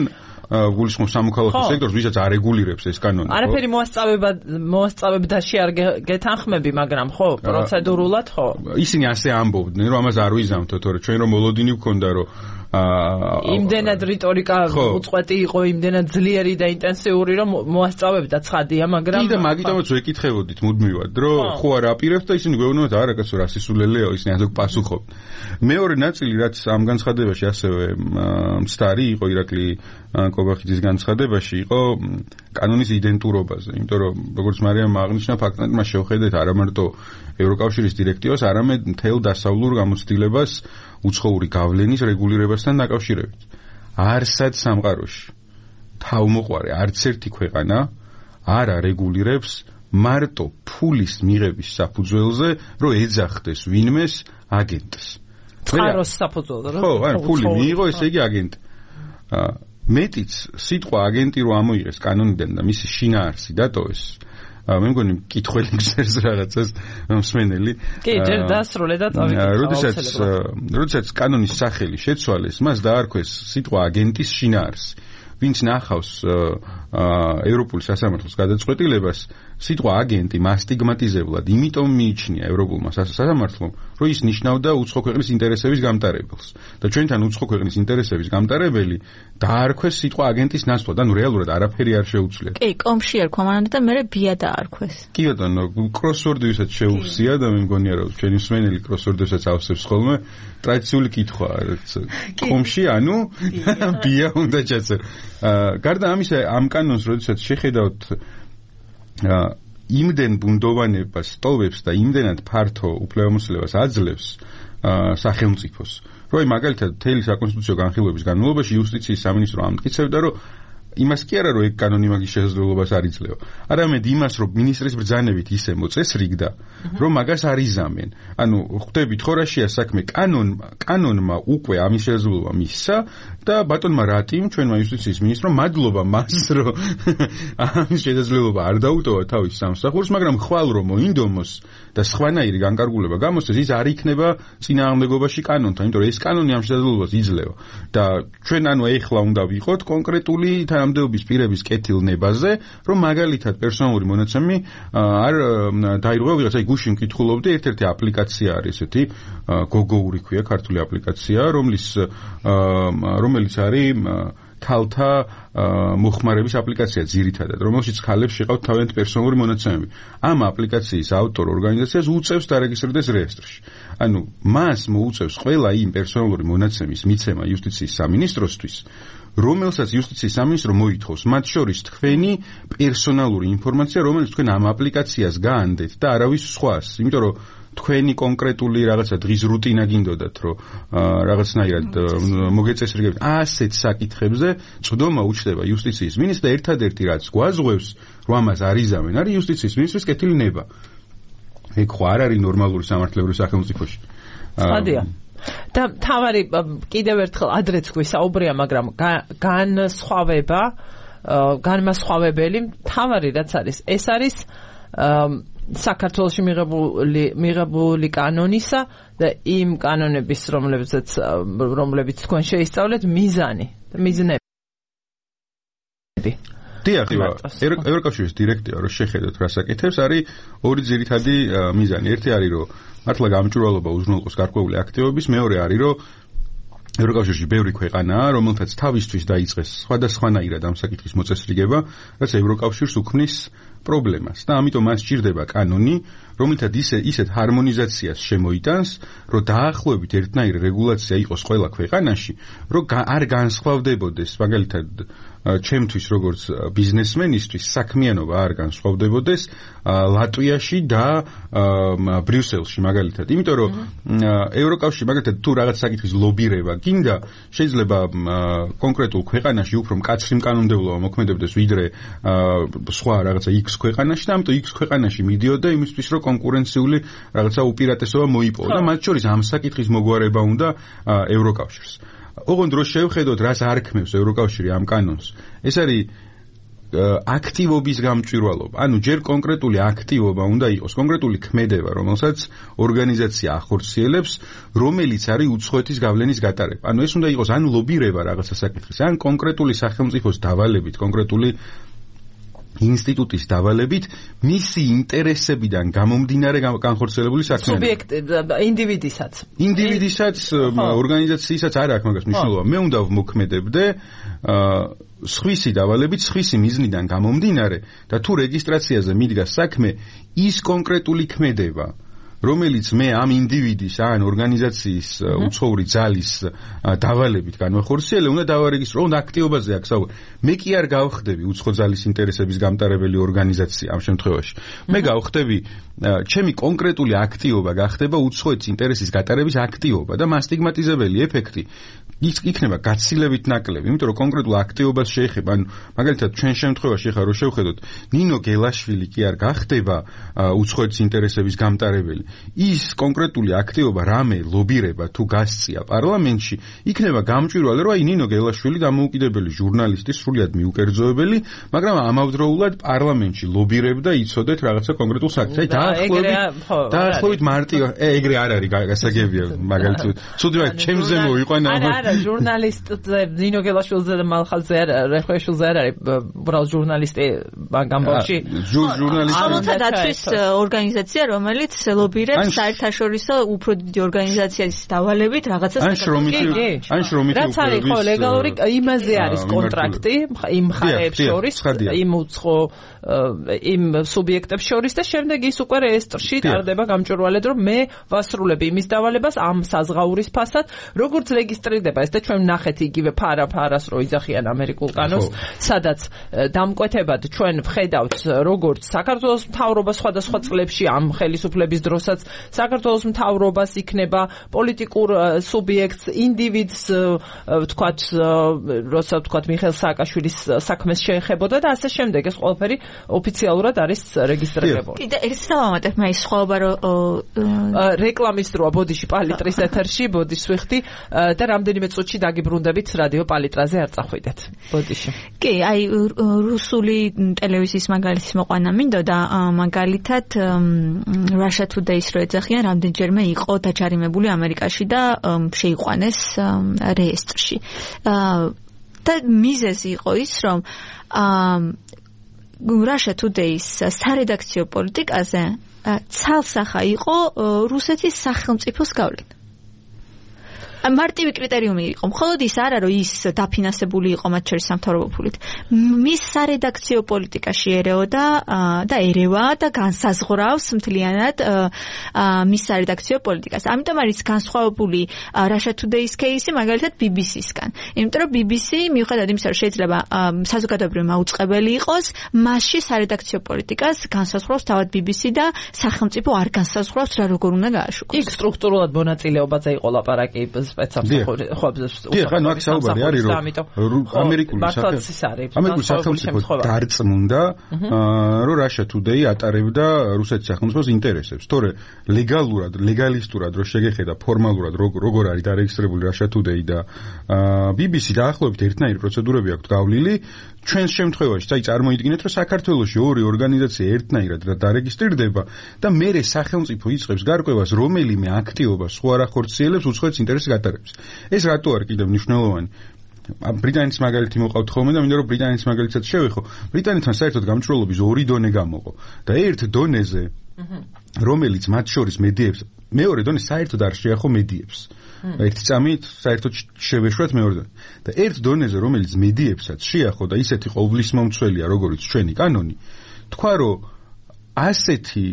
გულისხმობ სამოქალაქო სექტორს, ვისაც არეგულირებს ეს კანონი. არაფერი მოასწავება მოასწავებდაში არ გეთანხმები, მაგრამ ხო, პროცედურულად ხო. ისინი ასე ამბობდნენ, რომ ამას არ ვიზამთო, თორე ჩვენ რომ მოლოდინი ვქონდა, რომ იმდენად რიტორიკა უწყვეტი იყო, იმდენად ძლიერი და ინტენსიური, რომ მოასწავებდა ცხადია, მაგრამ კიდე მაგიტომაც ვეკითხებოდით მუდმივად, რომ ხო არ აპირებთ და ისინი გვეუბნებათ, არა კაცო, რა სისულელეო, ისინი ასე პასუხობთ. მეორე ნაწილი, რაც ამ განცხადებაში ასევე მცდარი იყო ირაკლი კობახიძის განცხადებაში, იყო კანონის იდენტურობაზე, იმიტომ რომ როგორც მარიამ აღნიშნა, ფაქტობრივად მას შევხედეთ არა მარტო ევროკავშირის დირექტივას, არამედ მთელ დასავლურ გამოცდილებას უცხოური გავლენის რეგულირებასთან დაკავშირებით. არსად სამყაროში თავმოყარე არც ერთი ქვეყანა არ არეგულირებს მარტო ფულის მიღების საფუძველზე, რომ ეძახდეს ვინმეს აგენტს. წყაროს საფუძველზე, ხო, ანუ ფული მიიღო, ესე იგი აგენტი. მეტიც სიტყვა აგენტი რო ამოიღეს კანონიდან და მისი შინაარსი დატოვეს, მე მგონი მკითხველი გზერს რაღაცას მსმენელი. კი, ჯერ დასრულე და წავიდეთ. როდესაც როდესაც კანონის სახელი შეცვალეს, მას დაარქვეს სიტყვა აგენტის შინაარსი. ვინც ნახავს ევროპული სასამართლოს გადაწყვეტილებას, სიტყვა აგენტი მასტიგმატიზებლად იმიტომ მიიჩნია ევროპულმა სასამართლომ, რომ ის ნიშნავდა უცხო ქვეყნის ინტერესების გამტარებელს. და ჩვენთან უცხო ქვეყნის ინტერესების გამტარებელი დაარქვეს სიტყვა აგენტის ნაცვლად, ანუ რეალურად არაფერი არ შეუცვლიათ. კი, კომში ერქვა მანამდე და მე ბია დაარქვეს. კი ბატონო, კროსვორდი ვისაც შეუხსია და მე მგონია რომ ჩვენი მსმენელი კროსვორდსაც ავსებს ხოლმე, ტრადიციული კითხვაა, კომში ანუ ბია უნდა ჩაწერო. გარდა ამისა, ამ კანონს როდესაც შეხედავთ იმდენ ბუნდოვანებას ტოვებს და იმდენად ფართო უფლებამოსილებას აძლევს სახელმწიფოს, რომ მაგალითად მთელი საკონსტიტუციო განხილვების განმავლობაში იუსტიციის სამინისტრო ამტკიცებდა, რომ იმას კი არა რომ ეგ კანონი მაგის შესაძლებლობას არ იძლევა, არამედ იმას რომ მინისტრის ბრძანებით ისე მოწესრიგდა, რომ მაგას არ იზამენ. ანუ ხვდებით ხო რა შეა საქმე, კანონ კანონმა უკვე ამის შესაძლებლობა მისცა და ბატონმა რატიმ ჩვენმა იუსტიციის მინისტრომ მადლობა მას რომ ამის შესაძლებლობა არ დაუტოვა თავის სამსახურს, მაგრამ ხვალ რომ მოინდომოს და სხვანაირი განკარგულება გამოსცეს, ის არ იქნება წინააღმდეგობაში კანონთან, იმიტომ რომ ეს კანონი ამ შესაძლებლობას იძლევა და ჩვენ ანუ ეხლა უნდა ვიყოთ კონკრეტული თანამდებობის პირების კეთილნებაზე, რომ მაგალითად პერსონალური მონაცემი არ დაირღვა ვიღაცა. აი გუშინ მკითხულობდი, ერთ-ერთი აპლიკაცია არის ესეთი, გოგოური ქვია, ქართული აპლიკაცია, რომლის რომელიც არის ქალთა მოხმარების აპლიკაცია ძირითადად, რომელშიც ქალებს შეყავთ თავიანთი პერსონალური მონაცემები. ამ აპლიკაციის ავტორ ორგანიზაციას უწევს დარეგისტრირდეს რეესტრში. ანუ მას მოუწევს ყველა იმ პერსონალური მონაცემის მიცემა იუსტიციის სამინისტროსთვის, რომელსაც იუსტიციის სამინისტრო მოითხოვს, მათ შორის თქვენი პერსონალური ინფორმაცია, რომელიც თქვენ ამ აპლიკაციას გაანდეთ და არავის სხვას, იმიტომ რომ თქვენი კონკრეტული რაღაცა დღის რუტინა გინდოდათ, რომ რაღაცნაირად მოგეწესრიგებთ ასეთ საკითხებზე, წვდომა უჩნდება იუსტიციის მინისტრს და ერთადერთი რაც გვაზღვევს, რომ ამას არ იზამენ, არის იუსტიციის მინისტრის კეთილი ნება. ეგ ხო არ არის ნორმალური სამართლებრივ სახელმწიფოში. ხადია. და თავარი კიდევ ერთხელ ადრეც გვისაუბრია, მაგრამ განსხვავება, განმასხვავებელი თავარი რაც არის, ეს არის საქართველოში მიღებული მიღებული კანონისა და იმ კანონების, რომლებიც რომლებიც თქვენ შეისწავლეთ, მიზანი და მიზნები. დიახ, ევროკავშირის დირექტივა რო შეხედოთ რა საკითხებს, არის ორი ძირითადი მიზანი. ერთი არის რომ მართლა გამჭვირვალობა უზრუნველყოს გარკვეული აქტივობის, მეორე არის რომ ევროკავშირში ბევრი ქვეყანაა, რომელთაც თავისთვის დაიწყეს სხვადასხვანაირად ამ საკითხის მოწესრიგება, რაც ევროკავშირს უქმნის პრობლემას და ამიტომ მას სჭირდება კანონი, რომელთაც ისე ისეთ ჰარმონიზაციას შემოიტანს, რომ დაახლოებით ერთნაირი რეგულაცია იყოს ყველა ქვეყანაში, რომ არ განსხვავდებოდეს, მაგალითად ჩემთვის როგორც ბიზნესმენისთვის საქმიანობა არ განსხვავდებოდეს ლატვიაში და ბრიუსელში მაგალითად. იმიტომ რომ ევროკავშირი მაგალითად თუ რაღაც საკითხის ლობირება გინდა, შეიძლება კონკრეტულ ქვეყანაში უფრო მკაცრი კანონმდებლობა მოქმედებდეს ვიდრე სხვა რაღაცა X ქვეყანაში და ამიტომ X ქვეყანაში მიდიოდა იმისთვის, რომ კონკურენციული რაღაცა უპირატესობა მოიპოვა და მათ შორის ამ საკითხის მოგვარება უნდა ევროკავშირს. ოღონდ რო შევხედოთ, რას არ ქმნევს ევროკავშირი ამ კანონს, ეს არის აქტივობის გამჭვირვალობა. ანუ ჯერ კონკრეტული აქტივობა უნდა იყოს, კონკრეტული ქმედება, რომელსაც ორგანიზაცია ახორციელებს, რომელიც არის უცხოეთის გავლენის გატარება. ანუ ეს უნდა იყოს ან ლობირება რაღაცა საკითხის, ან კონკრეტული სახელმწიფოს დავალებით, კონკრეტული ინსტიტუტის დავალებით მისი ინტერესებიდან გამომდინარე განხორციელებული საქმიანობა. სუბიექტი, ინდივიდისაც. ინდივიდისაც, ორგანიზაციისაც არ აქვს მაგას მნიშვნელობა. მე უნდა ვმოქმედებდე სხვისი დავალებით, სხვისი მიზნიდან გამომდინარე და თუ რეგისტრაციაზე მიდგას საქმე, ის კონკრეტული ქმედება, რომელიც მე ამ ინდივიდის ან ორგანიზაციის უცხოური ძალის დავალებით განვახორციელე, უნდა დავარეგისტრო, უნდა აქტივობაზე აქვს საუბარი. მე კი არ გავხდები უცხო ძალის ინტერესების გამტარებელი ორგანიზაცია ამ შემთხვევაში. მე გავხდები ჩემი კონკრეტული აქტივობა გახდება უცხოეთის ინტერესის გატარების აქტივობა და მასტიგმატიზებელი ეფექტი იქნება გაცილებით ნაკლები, იმიტომ რომ კონკრეტულ აქტივობას შეეხება, ანუ მაგალითად ჩვენ შემთხვევაში ახლა რო შევხედოთ, ნინო გელაშვილი კი არ გახდება უცხოეთის ინტერესების გამტარებელი. ის კონკრეტული აქტივობა რამე ლობირება თუ გასწია პარლამენტში, იქნება გამჭვირვალე, რომ აი ნინო გელაშვილი დამოუკიდებელი ჟურნალისტი, სრულიად მიუკერძოებელი, მაგრამ ამავდროულად პარლამენტში ლობირებდა იცოდეთ რაღაცა კონკრეტულ საქმეს. აი დაახლოებით დაახლოებით მარტივ ეგრე არ არის გასაგებია მაგალითად. ცუდი ვარ, ჩემზე მოიყვანა. არა, არა, ჟურნალისტზე ნინო გელაშვილზე და მალხაზზე არ რეხვეშვილზე არ არის, უბრალოდ ჟურნალისტი გამბოში. ჟურნალისტი ამოთა დაცვის ორგანიზაცია, რომელიც ლობირებს საერთაშორისო უფრო დიდი ორგანიზაციის დავალებით რაღაცას. ან შრომითი ან შრომითი რაც არის ხო ლეგალური იმაზე არის კონტრაქტი იმ მხარეებს შორის, იმ უცხო იმ სუბიექტებს შორის და შემდეგ ის უკვე რეესტრში ტარდება გამჭვირვალედ, რომ მე ვასრულებ იმის დავალებას ამ საზღაურის ფასად, როგორც რეგისტრირდება ეს და ჩვენ ვნახეთ იგივე ფარა-ფარას რო იძახიან ამერიკულ კანონს, სადაც დამკვეთებად ჩვენ ვხედავთ როგორც საქართველოს მთავრობა სხვადასხვა წლებში ამ ხელისუფლების დროსაც საქართველოს მთავრობას იქნება პოლიტიკურ სუბიექტს, ინდივიდს, ვთქვათ, როცა ვთქვათ მიხეილ სააკაშვილის საქმეს შეეხებოდა და ასე შემდეგ ეს ყველაფერი ოფიციალურად არის რეგისტრირებული. კიდე ერთ დავამატებ მე ის სხვაობა რომ რეკლამის დროა ბოდიში პალიტრის ეთერში, ბოდიშს ვიხდი და რამდენიმე წუთში დაგიბრუნდებით რადიო პალიტრაზე არ წახვიდეთ. ბოდიში. კი, აი რუსული ტელევიზიის მაგალითის მოყვანა მინდოდა, მაგალითად Russia Today-ს რო ეძახიან, რამდენჯერმე იყო დაჯარიმებული ამერიკაში და შეიყვანეს რეესტრში. და მიზეზი იყო ის, რომ Russia Today-ს სარედაქციო პოლიტიკაზე ცალსახა იყო რუსეთის სახელმწიფოს გავლენა. მარტივი კრიტერიუმი იყო. მხოლოდ ის არა, რომ ის დაფინანსებული იყო მათ შორის სამთავრობო ფულით. მის სარედაქციო პოლიტიკაში ერეოდა და ერევა და განსაზღვრავს მთლიანად მის სარედაქციო პოლიტიკას. ამიტომ არის განსხვავებული Russia Today-ის кейსი მაგალითად B B C-სგან. იმიტომ რომ B B C მიუხედავად იმისა, რომ შეიძლება საზოგადოებრივი მაუწყებელი იყოს, მასში სარედაქციო პოლიტიკას განსაზღვრავს თავად B B C და სახელმწიფო არ განსაზღვრავს რა როგორ უნდა გააშუქოს. იქ სტრუქტურულად მონაწილეობაზე იყო ლაპარაკი სპეცსამსახურების ხობებს უხალხო ნუ აქ საუბარი არის რომ ამერიკული ამერიკული სახელმწიფო დარწმუნდა რომ Russia Today ატარებდა რუსეთის სახელმწიფოს ინტერესებს. თორე ლეგალურად, ლეგალისტურად რო შეგეხედა ფორმალურად როგორ არის დარეგისტრირებული Russia Today და B B C დაახლოებით ერთნაირი პროცედურები აქვს გავლილი. ჩვენს შემთხვევაში, აი წარმოიდგინეთ, რომ საქართველოში ორი ორგანიზაცია ერთნაირად დარეგისტრირდება და მერე სახელმწიფო იწყებს გარკვევას, რომელიმე აქტივობა სხვა არ ახორციელებს უცხოეთის ინტერესის გატარებას. ეს რატო არის კიდევ მნიშვნელოვანი? ბრიტანეთის მაგალითი მოყავთ ხოლმე და მინდა რომ ბრიტანეთის მაგალითსაც შევეხო. ბრიტანეთთან საერთოდ გამჭვირვალობის ორი დონე გამოყო და ერთ დონეზე, რომელიც მათ შორის მედიებს, მეორე დონე საერთოდ არ შეახო მედიებს. ერთი წამით საერთოდ შევეშვათ მეორე დონე. და ერთ დონეზე, რომელიც მედიებსაც შეახო და ისეთი ყოვლისმომცველია, როგორც ჩვენი კანონი, თქვა რომ ასეთი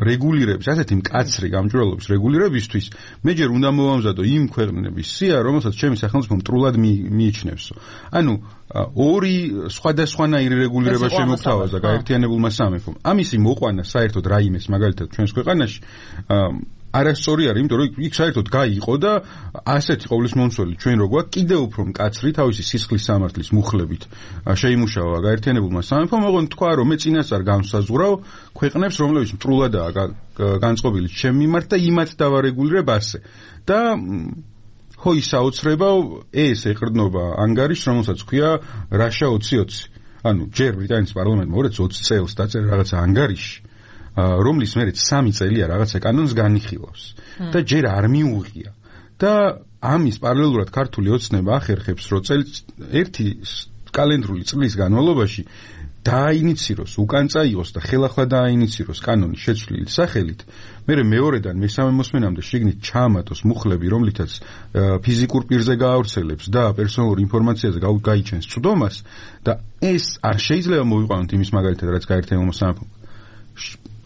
რეგულირების, ასეთი მკაცრი გამჭვირვალობის რეგულირებისთვის მე ჯერ უნდა მოვამზადო იმ ქვეყნების სია, რომელსაც ჩემი სახელმწიფო მტრულად მიიჩნევსო. ანუ ორი სხვადასხვანაირი რეგულირება შემოგთავაზა გაერთიანებულმა სამეფომ. ამისი მოყვანა საერთოდ რაიმეს მაგალითად ჩვენს ქვეყანაში არასწორი არის, იმიტომ რომ იქ საერთოდ გაიყო და ასეთი ყოვლისმომცველი ჩვენ რო გვაქვს კიდევ უფრო მკაცრი თავისი სისხლის სამართლის მუხლებით შეიმუშავა გაერთიანებულმა სამეფომ, ოღონდ თქვა რომ მე წინასწარ განსაზღვრავ ქვეყნებს, რომლებიც მტრულადაა განწყობილი ჩემ მიმართ და იმათ დავარეგულირებ ასე. და ხო ის აუცრებავ ეს ეყრდნობა ანგარიშს, რომელსაც ქვია Russia ოცი ოცი. ანუ ჯერ ბრიტანეთის პარლამენტმა ორ ოცი წელს დაწერა რაღაცა ანგარიში, რომლის მერე სამი წელია რაღაცა კანონს განიხილავს და ჯერ არ მიუღია. და ამის პარალელურად ქართული ოცნება ახერხებს, რომ წელს ერთი კალენდრული წლის განმავლობაში დააინიციროს, უკან წაიღოს და ხელახლა დააინიციროს კანონის შეცვლილი სახელით, მერე მეორედან მესამე მოსმენამდე შიგნით ჩაამატოს მუხლები, რომლითაც ფიზიკურ პირზე გაავრცელებს და პერსონალურ ინფორმაციაზე გაიჩენს წვდომას და ეს არ შეიძლება მოვიყვანოთ იმის მაგალითად, რაც გაერთიანებულმა სამეფომ.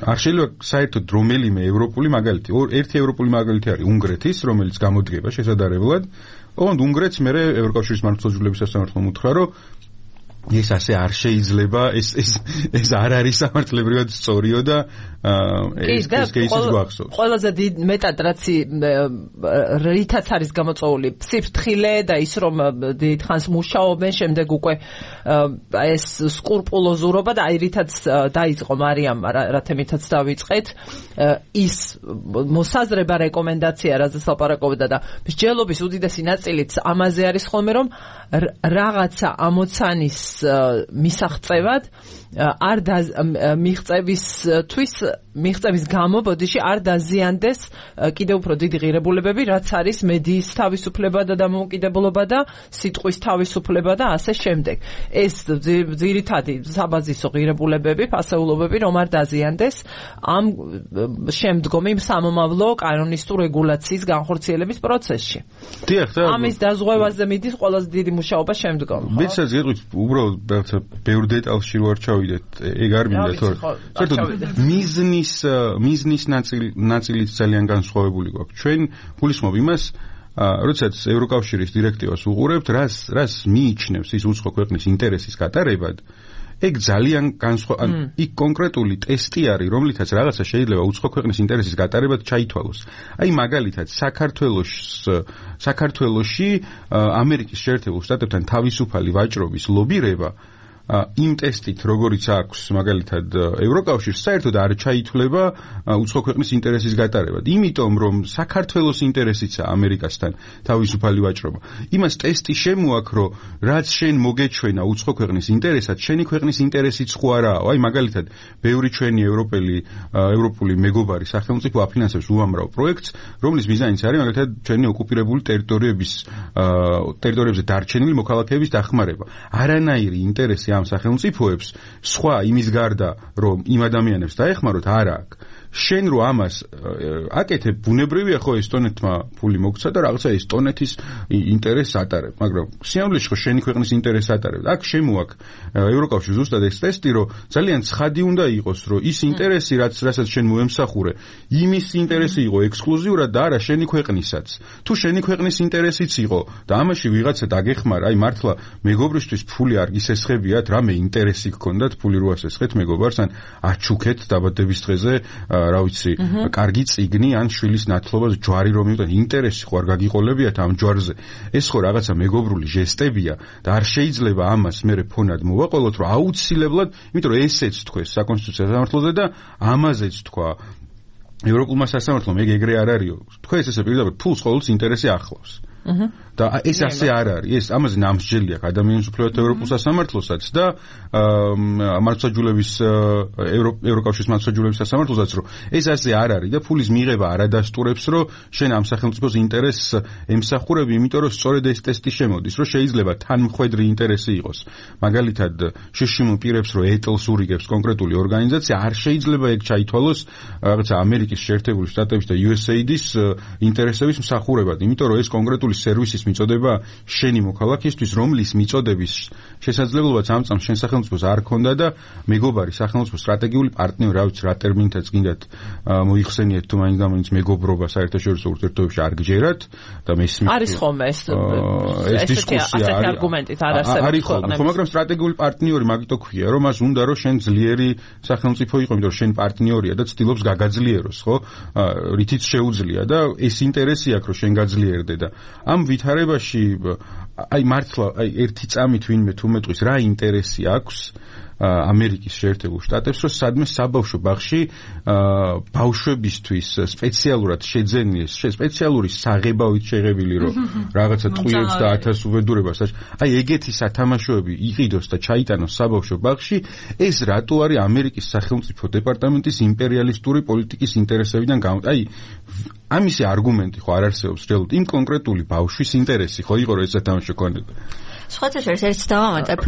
არ შეიძლება საერთოდ რომელიმე ევროპული მაგალითი, ერთი ევროპული მაგალითი არის უნგრეთის, რომელიც გამოდგება შესაძლებლად, ოღონდ უნგრეთს მერე ევროკავშირის მართლმსაჯულების სასამართლომ უთხრა, რომ ეს ასე არ შეიძლება, ეს ეს ეს არ არის სამართლებრივად სწორიო და ეს ეს кейსის გვახსოვს. ყველაზე მეტად რაც რითაც არის გამოწვეული სიფრთხილე და ის რომ დიდხანს მუშაობენ, შემდეგ უკვე ეს სკრუპულოზურობა და აი რითაც დაიწყო მარიამ რა თემითაც დავიწყეთ, ის მოსაზრება რეკომენდაცია რაზეც ლაპარაკობდა და მსჯელობის უდიდესი ნაწილიც ამაზე არის ხოლმე რომ რაღაცა ამოცანის მისაღწევად არ მიღწევისთვის მიღწევის გამო ბოდიში არ დაზიანდეს კიდევ უფრო დიდი ღირებულებები, რაც არის მედიის თავისუფლება და დამოუკიდებლობა და სიტყვის თავისუფლება და ასე შემდეგ. ეს ძირითადი საბაზისო ღირებულებები, ფასეულობები რომ არ დაზიანდეს ამ შემდგომი სამომავლო კანონისტურ რეგულაციის განხორციელების პროცესში. დიახ, და ამის დაზღვევაზე მიდის ყველაზე დიდი მუშაობა შემდგომ. ვიცით, გეტყვით, უბრალოდ ბევრ დეტალში ვარ ჩავიდეთ, ეგ არ მინდა თორე. საერთოდ მიზნის მიზნის ნაწილიც ძალიან განსხვავებული გვაქვს. ჩვენ გულისხმობ იმას, როდესაც ევროკავშირის დირექტივას უყურებთ, რას რას მიიჩნევს ის უცხო ქვეყნის ინტერესის გატარებად, ეგ ძალიან განსხვავებული, იქ კონკრეტული ტესტი არის, რომლითაც რაღაცა შეიძლება უცხო ქვეყნის ინტერესის გატარებად ჩაითვალოს. აი მაგალითად, საქართველოს საქართველოში ამერიკის შეერთებულ შტატებთან თავისუფალი ვაჭრობის ლობირება იმ ტესტით, როგორიც აქვს მაგალითად ევროკავშირს, საერთოდ არ ჩაითვლება უცხო ქვეყნის ინტერესის გატარებად. იმიტომ რომ საქართველოს ინტერესიცაა ამერიკასთან თავისუფალი ვაჭრობა. იმას ტესტი შემოაქვს, რომ რაც შენ მოგეჩვენა უცხო ქვეყნის ინტერესად, შენი ქვეყნის ინტერესიც ხო არაა. აი მაგალითად, ბევრი ჩვენი ევროპელი ევროპული მეგობარი სახელმწიფო აფინანსებს უამრავ პროექტს, რომლის მიზანიც არის მაგალითად ჩვენი ოკუპირებული ტერიტორიების ტერიტორიებზე დარჩენილი მოქალაქეების დახმარება. არანაირი ინტერესი ამ სახელმწიფოებს სხვა იმის გარდა რომ იმ ადამიანებს დაეხმაროთ არ აქვს. შენ რო ამას აკეთებ, ბუნებრივია ხო ესტონეთმა ფული მოგცა და რაღაცა ესტონეთის ინტერესს ატარებ, მაგრამ სიამოვნებაში ხო შენი ქვეყნის ინტერესს ატარებ. აქ შემოაქვს ევროკავშირს ზუსტად ეს ტესტი, რომ ძალიან ცხადი უნდა იყოს, რომ ის ინტერესი, რაც რასაც შენ მოემსახურე, იმის ინტერესი იყო ექსკლუზიურად და არა შენი ქვეყნისაც. თუ შენი ქვეყნის ინტერესიც იყო და ამაში ვიღაცა დაგეხმარა, აი მართლა მეგობრისთვის ფული არ გისესხებიათ, რამე ინტერესი გქონდათ ფული რო ასესხეთ მეგობარს, ან აჩუქეთ დაბადების დღეზე რა ვიცი, კარგი წიგნი ან შვილის ნათლობას ჯვარი რომ მივდეთ, ინტერესი ხო არ გაგიყოლებიათ ამ ჯვარზე. ეს ხო რაღაცა მეგობრული ჟესტებია და არ შეიძლება ამას მერე ფონად მოვაყოლოთ, რომ აუცილებლად, იმიტომ რომ ესეც თქვეს საკონსტიტუციო სასამართლოზე და ამაზეც თქვა ევროპულმა სასამართლომ, ეგ ეგრე არ არისო. თქვენ ესე პირდაპირ ფულს ყოველთვის ინტერესი ახლავს. და ეს ასე არ არის. ეს ამაზე ნამსჯელი აქვს ადამიანის უფლებათა ევროპულ სასამართლოსაც და მართლმსაჯულების ევროკავშირის მართლმსაჯულების სასამართლოსაც, რომ ეს ასე არ არის და ფულის მიღება არ ადასტურებს, რომ შენ ამ სახელმწიფოს ინტერესს ემსახურები, იმიტომ რომ სწორედ ეს ტესტი შემოდის, რომ შეიძლება თანმხვედრი ინტერესი იყოს. მაგალითად, შეშიმულ პირებს რომ ეტლს ურიგებს კონკრეტული ორგანიზაცია, არ შეიძლება ეგ ჩაითვალოს რაღაცა ამერიკის შეერთებული შტატების და იუ ეს ეი დის ინტერესების მსახურებად, იმიტომ რომ ეს კონკრეტული სერვისის მიწოდება შენი მოქალაქისთვის, რომლის მიწოდების შესაძლებლობაც ამ წამს შენ სახელმწიფოს არ ქონდა და მეგობარი სახელმწიფოს სტრატეგიული პარტნიორი, რა ვიცი, რა ტერმინითაც გინდათ მოიხსენიეთ თუ მაინც და მაინც მეგობრობა საერთაშორისო ურთიერთობებში არ გჯერათ და მესმის არის ხოლმე ეს ეს დისკუსია ასეთი არგუმენტით არ არსებობს. არის ხოლმე, ხო, მაგრამ სტრატეგიული პარტნიორი მაგიტო ქვია, რომ მას უნდა რომ შენ ძლიერი სახელმწიფო იყო, იმიტომ რომ შენ პარტნიორია და ცდილობს გაგაძლიეროს, ხო? რითიც შეუძლია და ეს ინტერესი აქვს რომ შენ გაძლიერდე და ამ ვითარებაში აი მართლა აი ერთი წამით ვინმე თუ მეტყვის რა ინტერესი აქვს ამერიკის შეერთებულ შტატებს, რომ სადმე საბავშვო ბაღში ბავშვებისთვის სპეციალურად შეძენიეს, სპეციალური საღებავით შეღებილი, რომ რაღაცა ტყუილებს და ათას უბედურებას, აი ეგეთი სათამაშოები იყიდოს და ჩაიტანოს საბავშვო ბაღში, ეს რატო არის ამერიკის სახელმწიფო დეპარტამენტის იმპერიალისტური პოლიტიკის ინტერესებიდან გამო? აი ამისი არგუმენტი ხო არ არსებობს რეალურად იმ კონკრეტული ბავშვის ინტერესი ხო იყო, რომ ეს სათამაშო ქონოდა. სხვათა შორის ერთ დავამატებ.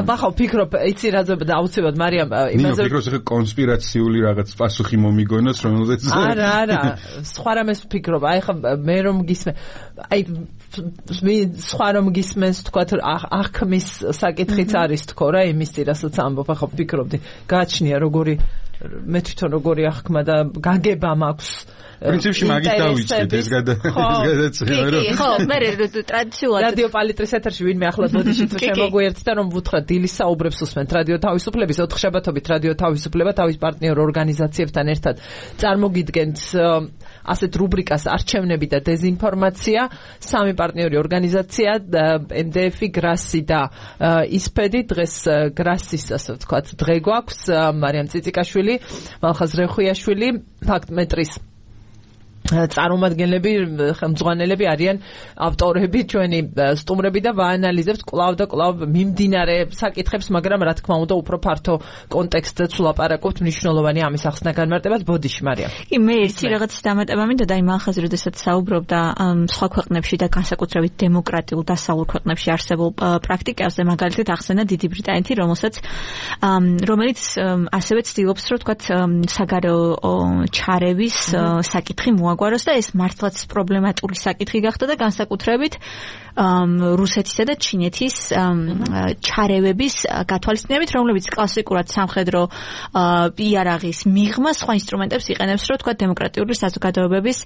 აბა ხო ფიქრობ, იცი რა ზებდა აუცილებლად მარიამ იმაზე ფიქრობს ხე კონსპირაციული რაღაც პასუხი მომიგონოს, რომელზეც არა, არა, სხვა რამეს ფიქრობ. აი ხა მე რომ გისმე, აი მე სხვა რომ გისმენს თქვა აღქმის საკითხიც არის თქო რა, იმის წირასაც ამბობ, ახლა ფიქრობდი, გააჩნია როგორი მე თვითონ როგორი აღქმა და გაგება მაქვს პრინციპში მაგით დავიწყეთ ეს გადაცემა რომ ხო მე ტრადიციულად რადიო პალიტრის ეთერში ვინმე ახლა ბოდიში თუ შემოგვიერთდა რომ ვუთხრათ დილის საუბრებს უსმენთ რადიო თავისუფლების ოთხშაბათობით რადიო თავისუფლება თავის პარტნიორ ორგანიზაციებთან ერთად წარმოგიდგენთ ასეთ რუბრიკას არჩევნები და დეზინფორმაცია სამი პარტნიორი ორგანიზაცია ემ-დე-ეფი, გრასი და ისფედი დღეს გრასის ასე ვთქვათ დღე გვაქვს მარიამ ციციკაშვილი, მალხაზ რეხუიაშვილი, ფაქტმეტრის წარმომადგენლები, ხელმძღვანელები არიან ავტორები, ჩვენი სტუმრები და ვაანალიზებთ კვლავ და კვლავ მიმდინარე საკითხებს, მაგრამ რა თქმა უნდა უფრო ფართო კონტექსტზეც ვლაპარაკობთ მნიშვნელოვანი ამის ახსნა განმარტებას. ბოდიში მარიამ. კი მე ერთი რაღაცის დამატება მინდა და იმ ახალ როდესაც საუბრობდა სხვა ქვეყნებში და განსაკუთრებით დემოკრატიულ დასავლურ ქვეყნებში არსებულ პრაქტიკებზე, მაგალითად ახსენა დიდი ბრიტანეთი, რომელსაც რომელიც ასევე ცდილობს რომ თქვათ საგარეო ჩარევის საკითხი მოაგვაროს და ეს მართლაც პრობლემატური საკითხი გახდა და განსაკუთრებით რუსეთისა და ჩინეთის ჩარევების გათვალისწინებით, რომლებიც კლასიკურად სამხედრო იარაღის მიღმა სხვა ინსტრუმენტებს იყენებს, რომ თქვა დემოკრატიული საზოგადოებების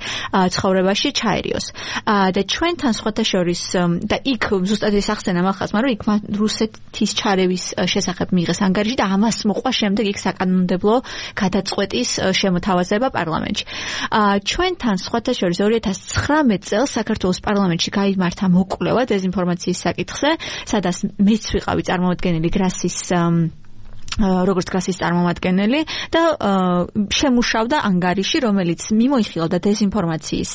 ცხოვრებაში ჩაერიოს. და ჩვენთან სხვათა შორის და იქ ზუსტად ეს ახსენა მახასმა, რომ იქ რუსეთის ჩარევის შესახებ მიიღეს ანგარიში და ამას მოყვა შემდეგ იქ საკანონმდებლო გადაწყვეტის შემოთავაზება პარლამენტში. ჩვენთან სხვათა შორის ორი ათას ცხრამეტ წელს საქართველოს პარლამენტში გაიმართა მოკვლევა დეზინფორმაციის საკითხზე, სადაც მეც ვიყავი წარმომადგენელი გრასის როგორც გრასის წარმომადგენელი და შემუშავდა ანგარიში, რომელიც მიმოიხილავდა დეზინფორმაციის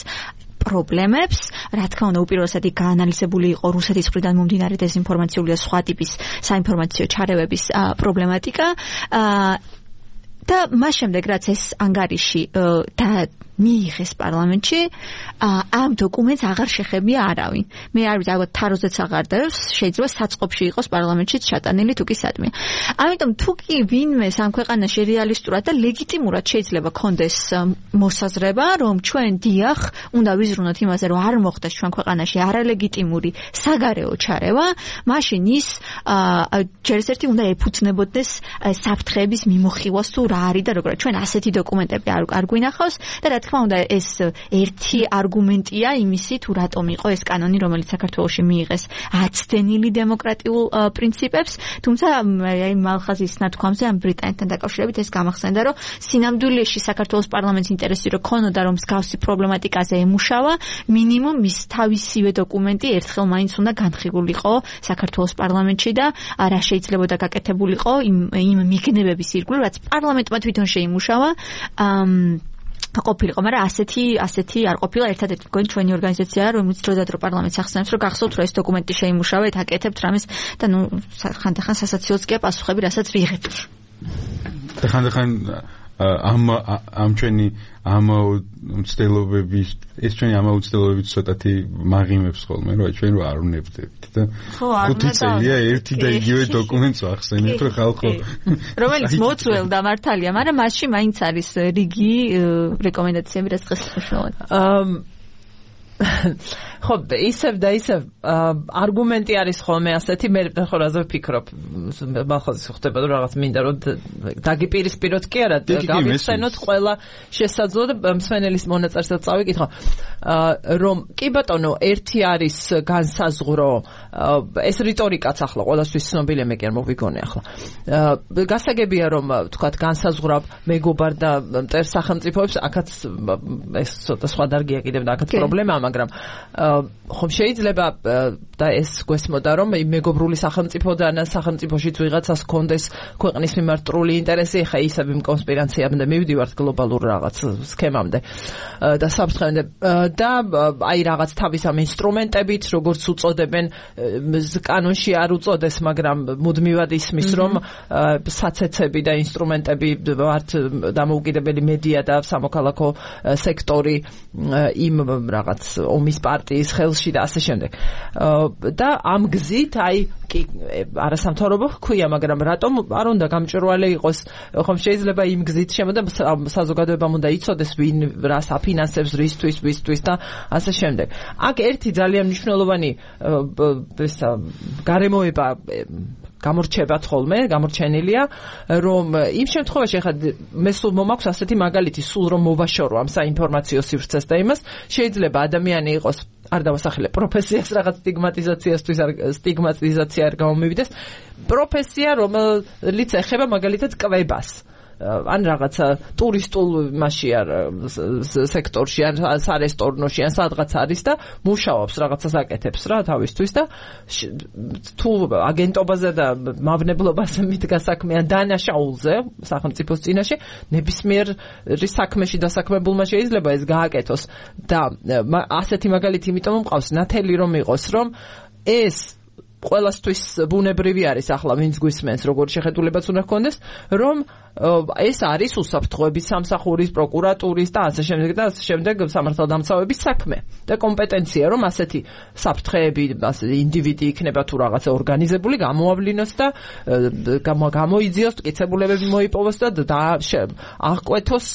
პრობლემებს, რა თქმა უნდა უპირველესად იქ გაანალიზებული იყო რუსეთის მხრიდან მომდინარე დეზინფორმაციული და სხვა ტიპის საინფორმაციო ჩარევების პრობლემატიკა და მას შემდეგ რაც ეს ანგარიში და მიიღეს პარლამენტში, ამ დოკუმენტს აღარ შეხებია არავინ. მე არ ვიცი, ალბათ თაროზეც აღარ დევს, შეიძლება საწყობში იყოს პარლამენტშიც ჩატანილი თუ კი სადმე. ამიტომ თუ კი ვინმე ამ ქვეყანაში რეალისტურად და ლეგიტიმურად შეიძლება კონდეს მოსაზრება, რომ ჩვენ დიახ, უნდა ვიზრუნოთ იმაზე, რომ არ მოხდეს ჩვენ ქვეყანაში არალეგიტიმური საგარეო ჩარევა, მაშინ ის ჯერ ერთი უნდა ეფუძნებოდეს საფრთხეების მიმოხილვას თუ რა არის და როგორ. ჩვენ ასეთი დოკუმენტები არ გვინახავს და რა თქმა უნდა ეს ერთი არგუმენტია იმისი თუ რატომ იყო ეს კანონი, რომელიც საქართველოში მიიღეს აცდენილი დემოკრატიულ პრინციპებს, თუმცა აი მალხაზის ნათქვამზე ამ ბრიტანეთთან დაკავშირებით ეს გამახსენდა, რომ სინამდვილეში საქართველოს პარლამენტის ინტერესი რო ქონოდა, რომ მსგავსი პრობლემატიკაზე ემუშავა, მინიმუმ მის თავისივე დოკუმენტი ერთხელ მაინც უნდა განხილულიყო საქართველოს პარლამენტში და რა შეიძლებოდა გაკეთებულიყო იმ იმ მიგნებების ირგვლივ, რაც პარლამენტმა თვითონ შეიმუშავა. ყოფილიყო, მაგრამ ასეთი ასეთი არ ყოფილა. ერთადერთი მგონი ჩვენი ორგანიზაცია, რომელიც დროდადრო პარლამენტს ახსენებს, რომ გახსოვთ, რომ ეს დოკუმენტი შეიმუშავეთ, აკეთებთ რამეს და ნუ ხანდახან სასაცილოც კი პასუხები, რასაც ვიღებთ. და ხანდახან ამ ამ ჩვენი ამ უცდელობების ეს ჩვენი ამ უცდელობების ცოტათი მაღიმებს ხოლმე, რომ ჩვენ რო არ უნებდებით და ხუთი წელია ერთი და იგივე დოკუმენტს ახსენეთ, რომ ხალხო რომელიც მოწველდა მართალია, მაგრამ მასში მაინც არის რიგი რეკომენდაციები, რაც დღეს მნიშვნელოვანია. ხო, ისევ და ისევ არგუმენტი არის ხოლმე ასეთი, მე ხო რაზე ვფიქრობ, მახაზი ხდება რომ რაღაც მინდა რომ დაგიპირისპიროთ კი არა, გავიხსენოთ ყველა შესაძლო და მსმენელის მონაწილესაც წავიკითხო, რომ კი ბატონო, ერთი არის განსაზღვრო, ეს რიტორიკაც ახლა ყველასთვის ცნობილია, მე კი არ მოვიგონე ახლა. გასაგებია რომ თქვათ განსაზღვრავ მეგობარ და მტერ სახელმწიფოებს, აქაც ეს ცოტა სხვა დარგია კიდევ და აქაც პრობლემაა, მაგრამ ხომ შეიძლება და ეს გვესმოდა რომ მეგობრული სახელმწიფოდან სახელმწიფოშიც ვიღაცას კონდეს ქვეყნის მიმართ ტრული ინტერესი, ხა ისევ იმ კონსპირაციამდე მივდივართ გლობალურ რაღაც სქემამდე და საფრთხემდე და აი რაღაც თავის ამ ინსტრუმენტებით, როგორც უწოდებენ, კანონში არ უწოდეს, მაგრამ მუდმივად ისმის რომ საცეცები და ინსტრუმენტები ვართ დამოუკიდებელი მედია და სამოქალაქო სექტორი იმ რაღაც ომის პარტიის ხელში და ასე შემდეგ. და ამ გზით აი კი არასამთავრობო ჰქვია, მაგრამ რატომ არ უნდა გამჭვირვალე იყოს, ხომ შეიძლება იმ გზით შემოდა საზოგადოებამ უნდა იცოდეს ვინ რას აფინანსებს, რისთვის, ვისთვის და ასე შემდეგ. აქ ერთი ძალიან მნიშვნელოვანი ესა გარემოება გამორჩება ხოლმე, გამორჩენილია, რომ იმ შემთხვევაში ხა მე სულ მომაქვს ასეთი მაგალითი, სულ რომ მოვაშორო ამ საინფორმაციო სივრცეს და იმას, შეიძლება ადამიანი იყოს არ დავასახელე პროფესიას რაღაც სტიგმატიზაციასთვის არ სტიგმატიზაცია არ გამომივიდეს, პროფესია რომელიც ეხება მაგალითად კვებას. ან რაღაცა ტურისტულ მასში არ სექტორში ან სარესტორნოში ან სადღაც არის და მუშაობს რაღაცას აკეთებს რა თავისთვის და თუ აგენტობაზე და მავნებლობაზე მიდგა საქმე ან დანაშაულზე სახელმწიფოს წინაშე ნებისმიერი საქმეში დასაქმებულმა შეიძლება ეს გააკეთოს და ასეთი მაგალითი იმიტომ მყავს ნათელი რომ იყოს რომ ეს ყველასთვის ბუნებრივი არის ახლა ვინც გვისმენს როგორ შეხედულებაც უნდა ჰქონდეს რომ ეს არის უსაფრთხოების სამსახურის პროკურატურის და ასე შემდეგ და ასე შემდეგ სამართალდამცავების საქმე და კომპეტენცია რომ ასეთი საფრთხეები ასე ინდივიდი იქნება თუ რაღაცა ორგანიზებული გამოავლინოს და გამოიძიოს მტკიცებულებები მოიპოვოს და აღკვეთოს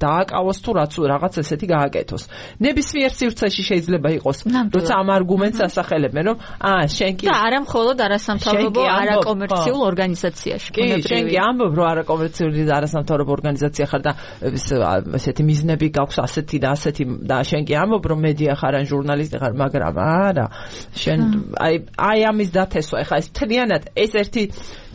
დააკავოს თუ რაც რაღაც ესეთი გააკეთოს ნებისმიერ სივრცეში შეიძლება იყოს როცა ამ არგუმენტს ასახელებენ რომ აა შენ კი და არა მხოლოდ არასამთავრობო არაკომერციულ ორგანიზაციაში კი შენ კი ამბობ რომ არაკომერციულ არასამთავრობო ორგანიზაცია ხარ და ესეთი მიზნები გაქვს ასეთი და ასეთი და შენ კი ამბობ რომ მედია ხარ ან ჟურნალისტი ხარ მაგრამ არა შენ აი აი ამის დათესვა ეხლა ეს მთლიანად ეს ერთი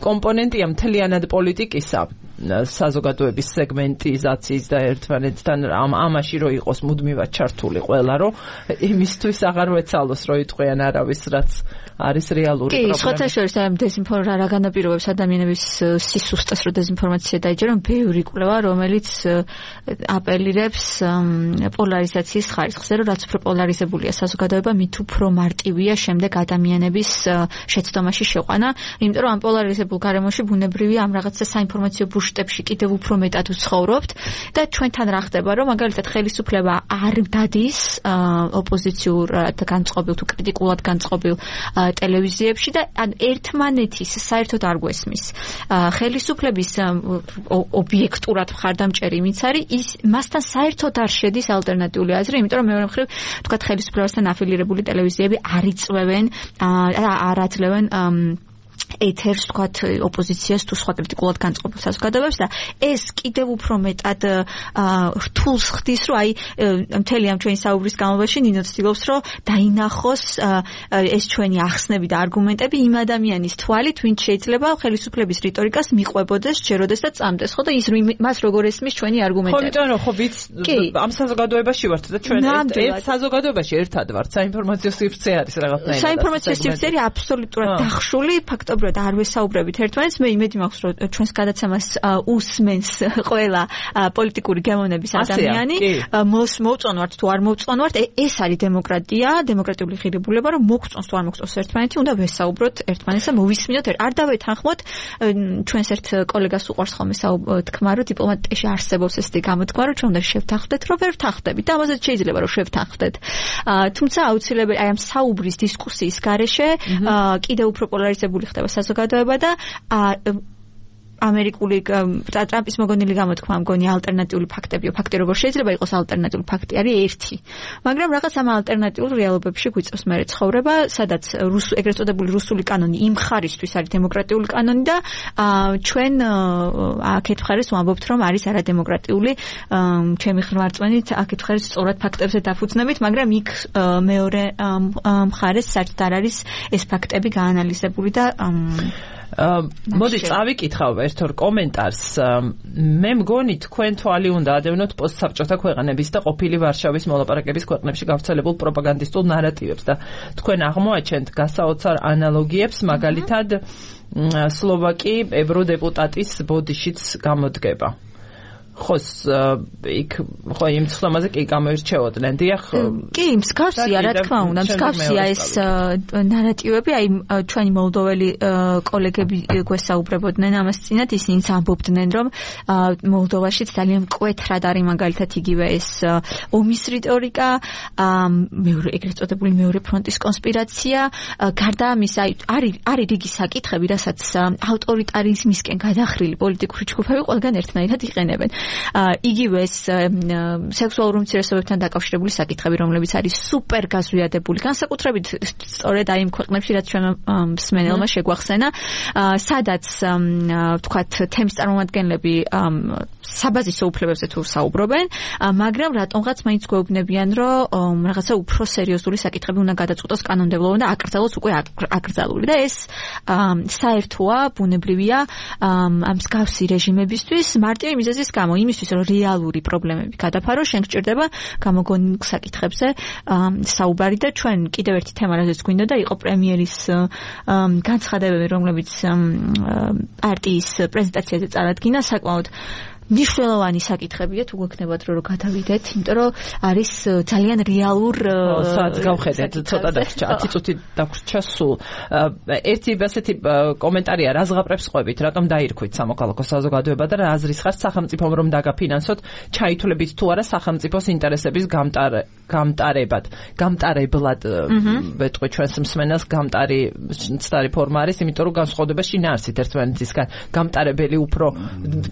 კომპონენტია მთლიანად პოლიტიკისა საზოგადოების სეგმენტიზაციის და ერთმანეთთან ამ ამაში რო იყოს მუდმივად ჩართული ყველა რომ იმისთვის აღარ ვეცალოს რო იტყვიან არავის რაც არის რეალური პრობლემა. კი, სხვათა შორის ამ დეზინფორმაცია რა განაპირობებს ადამიანების სისუსტეს რო დეზინფორმაცია დაიჯერონ ბევრი კვლევა რომელიც აპელირებს პოლარიზაციის ხარისხზე რომ რაც უფრო პოლარიზებულია საზოგადოება მით უფრო მარტივია შემდეგ ადამიანების შეცდომაში შეყვანა იმიტომ რომ ამ პოლარიზებულ გარემოში ბუნებრივია ამ რაღაცა საინფორმაციო ბუშტებში კიდევ უფრო მეტად ვცხოვრობთ და ჩვენთან რა ხდება რომ მაგალითად ხელისუფლება არ დადის ოპოზიციურ განწყობილ თუ კრიტიკულად განწყობილ ტელევიზიებში და ერთმანეთის საერთოდ არ გვესმის ხელისუფლების ობიექტურად მხარდამჭერი ვინც არის ის მასთან საერთოდ არ შედის ალტერნატიული აზრი იმიტომ რომ მეორე მხრივ თქვა ხელისუფლებასთან აფილირებული ტელევიზიები არ იწვევენ არ აძლევენ ეთერს თქვათ ოპოზიციას თუ სხვა კრიტიკულად განწყობილ საზოგადოებებს და ეს კიდევ უფრო მეტად რთულს ხდის რომ აი მთელი ამ ჩვენი საუბრის განმავლობაში ნინო ცდილობს რომ დაინახოს ეს ჩვენი ახსნები და არგუმენტები იმ ადამიანის თვალით ვინც შეიძლება ხელისუფლების რიტორიკას მიყვებოდეს ჯეროდეს და წამდეს ხო და ის მას როგორ ესმის ჩვენი არგუმენტები ხო იმიტომ რომ ხო ვიც ამ საზოგადოებაში ვართ და ჩვენ ერთ საზოგადოებაში ერთად ვართ საინფორმაციო სივრცე არის რაღაცნაირად საინფორმაციო სივრცე არის აბსოლუტურად დახშული ფაქტობრივად არ ვესაუბრებით ერთმანეთს მე იმედი მაქვს რომ ჩვენს გადაცემას უსმენს ყველა პოლიტიკური გემოვნების ადამიანი მოვწონვართ თუ არ მოვწონვართ ეს არის დემოკრატია დემოკრატიული ღირებულება რომ მოგწონს თუ არ მოგწონს ერთმანეთი უნდა ვესაუბროთ ერთმანეთს და მოვისმინოთ არ დავეთანხმოთ ჩვენს ერთ კოლეგას უყვარს ხოლმე თქმა რომ დიპლომატიაში არსებობს ესეთი გამოთქმა რომ ჩვენ უნდა შევთანხმდეთ რომ ვერ ვთანხმდებით და ამასაც შეიძლება რომ შევთანხმდეთ თუმცა აუცილებელი აი ამ საუბრის დისკუსიის გარეშე კიდევ უფრო პოლარიზებული ხდება საზოგადოება და ამერიკული ტრამპის მოგონილი გამოთქმა მგონი ალტერნატიული ფაქტებიო ფაქტი როგორ შეიძლება იყოს ალტერნატიული ფაქტი არის ერთი მაგრამ რაღაც ამ ალტერნატიულ რეალობებში გვიწევს მე ცხოვრება სადაც ეგრეთ წოდებული რუსული კანონი იმ ხარისთვის არის დემოკრატიული კანონი და ჩვენ აქეთ მხარეს ვამბობთ რომ არის არადემოკრატიული ჩემი ხმარწვენით აქეთ მხარეს სწორად ფაქტებზე დაფუძნებით მაგრამ იქ მეორე მხარეს საერთოდ არ არის ეს ფაქტები გაანალიზებული და მოდი წავიკითხავ ერთ ორ კომენტარს მე მგონი თქვენ თვალი უნდა ადევნოთ პოსტსაბჭოთა ქვეყნების და ყოფილი ვარშავის მოლაპარაკების ქვეყნებში გავრცელებულ პროპაგანდისტულ ნარატივებს და თქვენ აღმოაჩენთ გასაოცარ ანალოგიებს მაგალითად სლოვაკი ევროდეპუტატის ბოდიშიც გამოდგება ხო იქ ხო იმ ცნობაზე კი გამოირჩეოდნენ დიახ კი მსგავსია რა თქმა უნდა მსგავსია ეს ნარატივები აი ჩვენი მოლდოველი კოლეგები გვესაუბრებოდნენ ამას წინათ ისინი ამბობდნენ რომ მოლდოვაშიც ძალიან მკვეთრად არის მაგალითად იგივე ეს ომის რიტორიკა მეორე ეგრეთ წოდებული მეორე ფრონტის კონსპირაცია გარდა ამისა არის არის რიგი საკითხები რასაც ავტორიტარიზმისკენ გადახრილი პოლიტიკური ჯგუფები ყველგან ერთნაირად იყენებენ იგივე ეს სექსუალურ უმცირესობებთან დაკავშირებული საკითხები რომლებიც არის სუპერ გაზვიადებული განსაკუთრებით სწორედ აი იმ ქვეყნებში რაც ჩვენ მსმენელმა შეგვახსენა სადაც ვთქვათ თემის წარმომადგენლები საბაზისო უფლებებზე თუ საუბრობენ მაგრამ რატომღაც მაინც გვეუბნებიან რომ რაღაცა უფრო სერიოზული საკითხები უნდა გადაწყვეტოს კანონმდებლობამ და აკრძალოს უკვე აკრძალული და ეს საერთოა ბუნებრივია ამ მსგავსი რეჟიმებისთვის მარტივი მიზეზის გამო იმისთვის რომ რეალური პრობლემები გადაფარო შენ გჭირდება გამოგონილ საკითხებზე საუბარი და ჩვენ კიდევ ერთი თემა რაზეც გვინდა და იყო პრემიერის განცხადებები რომლებიც პარტიის პრეზენტაციაზე წარადგინა საკმაოდ მნიშვნელოვანი საკითხებია თუ გექნებათ რომ გადავიდეთ, იმიტომ რომ არის ძალიან რეალურ სადაც გავხედეთ ცოტა დაგვრჩა ათი წუთი დაგვრჩა სულ. ერთი ასეთი კომენტარია რა ზღაპრებს ყვებით, რატომ დაირქვით სამოქალაქო საზოგადოება და რა აზრის ხართ სახელმწიფომ რომ დაგაფინანსოთ ჩაითვლებით თუ არა სახელმწიფოს ინტერესების გამტარებად. გამტარებლად ვეტყვი ჩვენს მსმენელს გამტარი ცდარი ფორმა არის, იმიტომ რომ განსხვავდება შინაარსით ერთმანეთისგან. გამტარებელი უფრო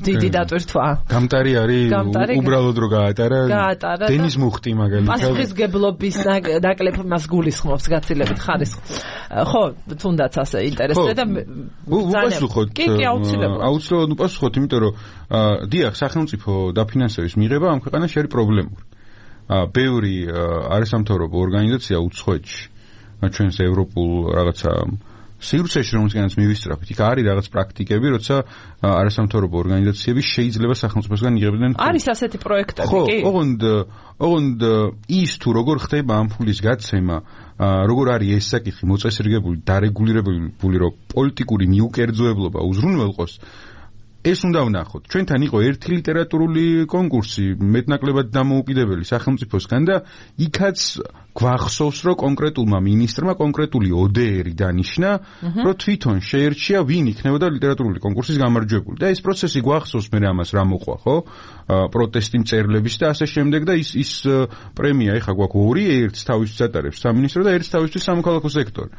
დიდი დატვირთვა გამტარი არის უბრალოდ რო გაატარა დენის მუხტი მაგალითად პასუხისგებლობის ნაკლებ მას გულისხმობს გაცილებით ხარისხს ხო თუნდაც ასე ინტერესდება და უპასუხოთ კი კი აუცილებლად აუცილებლად უპასუხოთ იმიტომ რომ დიახ სახელმწიფო დაფინანსების მიღება ამ ქვეყანაში არის პრობლემური ბევრი არასამთავრობო ორგანიზაცია უცხოეთში ჩვენს ევროპულ რაღაცა სივრცეში რომელსაც მივისწრაფით, იქ არის რაღაც პრაქტიკები, როცა არასამთავრობო ორგანიზაციები შეიძლება სახელმწიფოსგან იღებდნენ. არის ასეთი პროექტები, კი? ხო, ოღონდ ოღონდ ის თუ როგორ ხდება ამ ფულის გაცემა, როგორ არის ეს საკითხი მოწესრიგებული, დარეგულირებული, რომ პოლიტიკური მიუკერძოებლობა უზრუნველყოს, ეს უნდა ვნახოთ. ჩვენთან იყო ერთი ლიტერატურული კონკურსი, მეტნაკლებად დამოუკიდებელი სახელმწიფოსგან და იქაც გვახსოვს, რომ კონკრეტულმა მინისტრმა კონკრეტული ოდეერი დანიშნა, რომ თვითონ შეერჩია, ვინ იქნებოდა ლიტერატურული კონკურსის გამარჯვებული. და ეს პროცესი გვახსოვს მე ამას რა მოყვა, ხო? პროტესტი მწერლების და ასე შემდეგ და ის ის პრემია ეხა გვაქვს ორი, ერთს თავისთვის ატარებს სამინისტრო და ერთს თავისთვის სამოქალაქო სექტორი.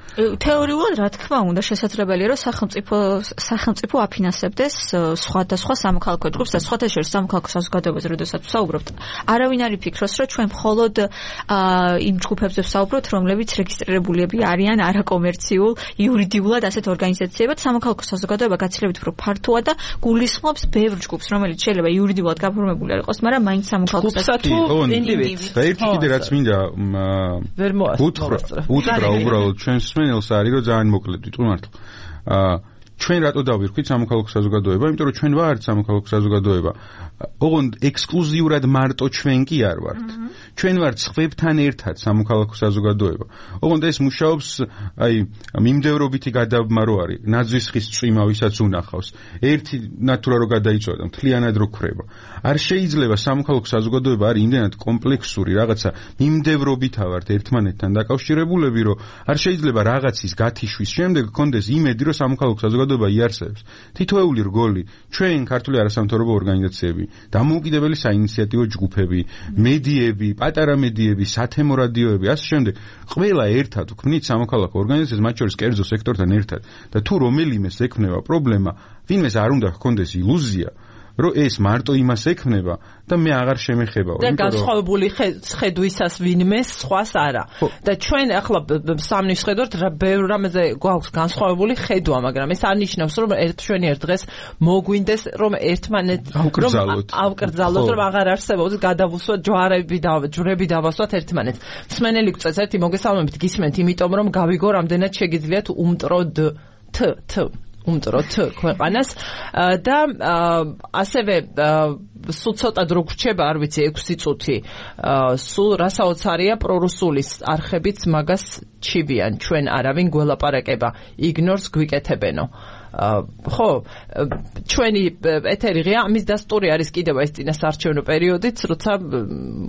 თეორიულად რა თქმა უნდა შესაძლებელია, რომ სახელმწიფო სახელმწიფო აფინანსებდეს სხვადასხვა სამოქალაქო ჯგუფს და სხვათა შორის სამოქალაქო საზოგადოებაზე, როდესაც ვსაუბრობთ. არავინ არ იფიქროს, რომ ჩვენ მხოლოდ იმ ჯგუფებზე ვსაუბრობთ, რომლებიც რეგისტრირებულები არიან არაკომერციულ, იურიდიულად ასეთ ორგანიზაციებად, სამოქალაქო საზოგადოება გაცილებით უფრო ფართოა და გულისხმობს ბევრ ჯგუფს, რომელიც შეიძლება იურიდიულად გაფორმებული არ იყოს, მაგრამ მაინც სამოქალაქო საზოგადოება ინდივიდს. და ერთი კიდე რაც მინდა უთხრა, უთხრა უბრალოდ ჩვენს მსმენელს არის, რომ ძალიან მოკლედ ვიტყვი მართლა. ჩვენ რატო დავირქვით სამოქალაქო საზოგადოება? იმიტომ რომ ჩვენ ვართ სამოქალაქო საზოგადოება. ოღონდ ექსკლუზიურად მარტო ჩვენ კი არ ვართ. ჩვენ ვართ სხვებთან ერთად სამოქალაქო საზოგადოება. ოღონდ ეს მუშაობს, აი, მიმდევრობითი გადაბმა რო არის, ნაძვის ხის წვიმა ვისაც უნახავს. ერთი ნატურა რო გადაიწვა და მთლიანად რო ქრება. არ შეიძლება სამოქალაქო საზოგადოება არის იმდენად კომპლექსური რაღაცა, მიმდევრობითა ვართ ერთმანეთთან დაკავშირებულები, რომ არ შეიძლება რაღაცის გათიშვის შემდეგ გქონდეს იმედი, რომ სამოქალაქო საზოგადოება იარსებებს. თითოეული რგოლი, ჩვენ ქართული არასამთავრობო ორგანიზაციები, დამოუკიდებელი საინიციატივო ჯგუფები, მედიები, პატარა მედიები, სათემო რადიოები, ასე შემდეგ, ყველა ერთად ვქმნით სამოქალაქო ორგანიზაციას, მათ შორის კერძო სექტორთან ერთად. და თუ რომელიმეს ექმნება პრობლემა, ვინმეს არ უნდა ჰქონდეს ილუზია, რომ ეს მარტო იმას ექმნება და მე აღარ შემეხებაო. და განსხვავებული ხედვისას ვინმეს, სხვას არა. და ჩვენ ახლა სამნი ვხედავთ, რა ბევრ რამეზე გვაქვს განსხვავებული ხედვა, მაგრამ ეს არ ნიშნავს, რომ ერთ ჩვენი ერთ დღეს მოგვინდეს, რომ ერთმანეთ რომ ავკრძალოთ, რომ აღარ არსებობს გადავუსვათ ჯვარები და ჯვრები დავასვათ ერთმანეთს. მსმენელი გვწევს ერთი მოგესალმებით, გისმენთ, იმიტომ რომ გავიგო, რამდენად შეგიძლიათ უმტრო თ თ უმტროთ ქვეყანას და ასევე სულ ცოტა დრო გრჩება, არ ვიცი, ექვსი წუთი. სულ რასაოცარია პრორუსულის არხებიც მაგას ჩივიან, ჩვენ არავინ გველაპარაკება, იგნორს გვიკეთებენო. ხო, ჩვენი ეთერი ღია, ამის დასტური არის კიდევ ეს წინასაარჩევნო პერიოდიც, როცა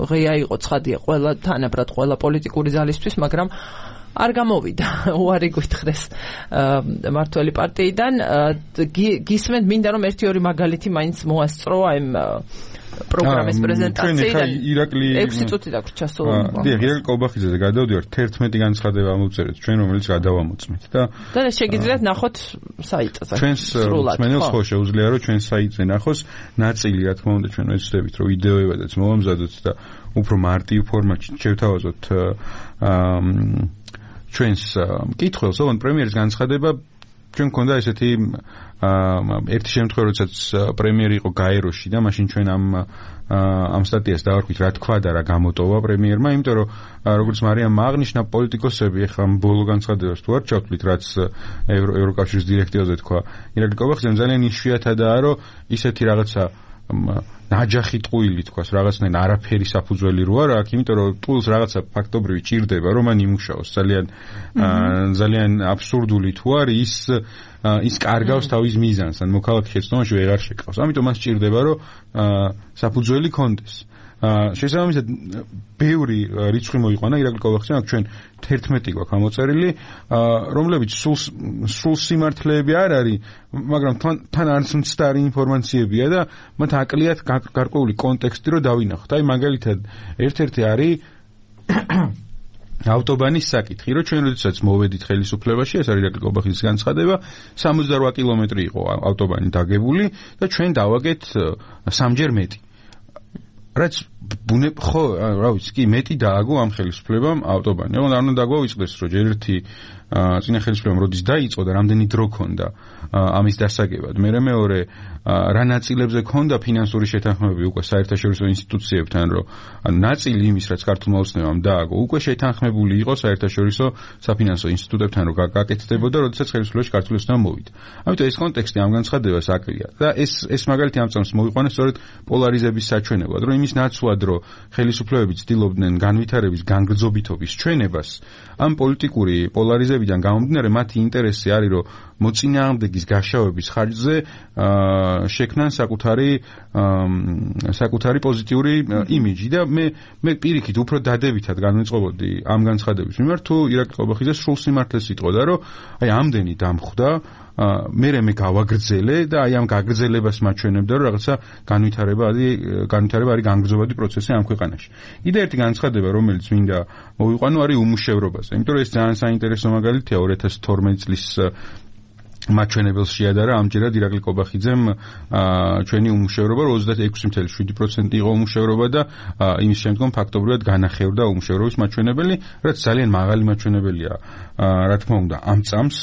ღია იყო ცხადია ყველა თანაბრად ყველა პოლიტიკური ძალისთვის, მაგრამ არ გამოვიდა უარი გითხრეს მართველი პარტიიდან. გისმენთ, მინდა რომ ერთი ორი მაგალითი მაინც მოასწრო ამ პროგრამის პრეზენტაციიდან. ექვსი წუთი დაგვრჩა სულ. დიახ, ირაკლი კობახიძეზე გადავდივართ, თერთმეტი განცხადება ამოვწერეთ ჩვენ, რომელიც გადავამოწმეთ და და შეგიძლიათ ნახოთ საიტზე. ჩვენს მსმენელს ხო შეუძლია რომ ჩვენ საიტზე ნახოს ნაწილი, რა თქმა უნდა, ჩვენ ვეცდებით რომ ვიდეოებადაც მოვამზადოთ და უფრო მარტივ ფორმატში შევთავაზოთ ჩვენს მკითხველს, ოღონდ პრემიერის განცხადება ჩვენ გქონდა ესეთი ერთი შემთხვევა, როდესაც პრემიერი იყო გაეროში და მაშინ ჩვენ ამ ამ სტატიას დავარქვით რა თქვა და რა გამოტოვა პრემიერმა, იმიტომ რომ როგორც მარიამმა აღნიშნა, პოლიტიკოსები ეხლა ბოლო განცხადებას თუ არ ჩავთვლით, რაც ევროკავშირის დირექტივაზე თქვა ირაკლი კობახიძემ, ძალიან იშვიათადაა, რომ ისეთი რაღაცა ნაჯახი ტყუილი თქვას, რაღაცნაირ არაფერი საფუძველი რო არა აქ, იმიტომ რომ ტყუილს რაღაცა ფაქტობრივი ჭირდება, რომ მან იმუშაოს. ძალიან ძალიან აბსურდული თუ არის ის ის კარგავს თავის მიზანს, ან მოქალაქე შეცდომაში ვეღარ შეკავს. ამიტომ მას ჭირდება, რომ საფუძველი კონდეს. შესაბამისად, ბევრი რიცხვი მოიყვანა ირაკლი კობახიძემ, აქ ჩვენ თერთმეტი გვაქვს ამოწერილი, რომლებიც სულ სულ სიმართლეები არ არის, მაგრამ თან არც მცდარი ინფორმაციებია და მათ აკლიათ გარკვეული კონტექსტი რომ დავინახოთ. აი მაგალითად, ერთ-ერთი არის ავტობანის საკითხი, რომ ჩვენ როდესაც მოვედით ხელისუფლებაში, ეს არის ირაკლი კობახიძის განცხადება, სამოცდარვა კილომეტრი იყო ავტობანი დაგებული და ჩვენ დავაგეთ სამჯერ მეტი. რაც ბუნე ხო, რა ვიცი, კი მეტი დააგო ამ ხელისუფლებამ ავტობანი. ოღონდ არ უნდა დაგვაუწყდეს, რომ ჯერ ერთი წინა ხელისუფლებამ როდის დაიწყო და რამდენი დრო ქონდა ამის დასაგებად. მერე მეორე რა ნაწილებზე ქონდა ფინანსური შეთანხმებები უკვე საერთაშორისო ინსტიტუციებთან, რომ ანუ ნაწილი იმის, რაც ქართულმა ოცნებამ დააგო, უკვე შეთანხმებული იყო საერთაშორისო საფინანსო ინსტიტუტებთან, რომ გაკეთდებოდა, როდესაც ხელისუფლებაში ქართული ოცნება მოვიდა. ამიტომ ეს კონტექსტი ამ განცხადებას აკლია. და ეს ეს მაგალითი ამ წამს მოიყვანა სწორედ პოლარიზების საჩვენებლად, რომ იმის ნაცვლად, რომ ხელისუფლებები ცდილობდნენ განვითარების განგრძობითობის ჩვენებას, ამ პოლიტიკური პოლარიზებიდან გამომდინარე, მათი ინტერესი არის, რომ მოწინააღმდეგის გაშავების ხარჯზე შექმნან საკუთარი საკუთარი პოზიტიური იმიჯი და მე მე პირიქით უფრო დადებითად განვიწყობოდი ამ განცხადების მიმართ, თუ ირაკლი კობახიძე სრულ სიმართლეს იტყოდა, რომ აი ამდენი დამხვდა, მერე მე გავაგრძელე და აი ამ გაგრძელებას მაჩვენებდა, რომ რაღაცა განვითარება არის განვითარება არის განგრძობადი პროცესი ამ ქვეყანაში. კიდე ერთი განცხადება, რომელიც მინდა მოვიყვანო, არის უმუშევრობაზე, იმიტომ რომ ეს ძალიან საინტერესო მაგალითია ორი ათას თორმეტი წლის მაჩვენებელს შეადარა ამჯერად ირაკლი კობახიძემ ჩვენი უმუშევრობა ოცდაექვსი წუთი შვიდი პროცენტი იყო უმუშევრობა და იმის შემდგომ ფაქტობრივად განახევრდა უმუშევრობის მაჩვენებელი, რაც ძალიან მაღალი მაჩვენებელია. რა თქმა უნდა, ამ წამს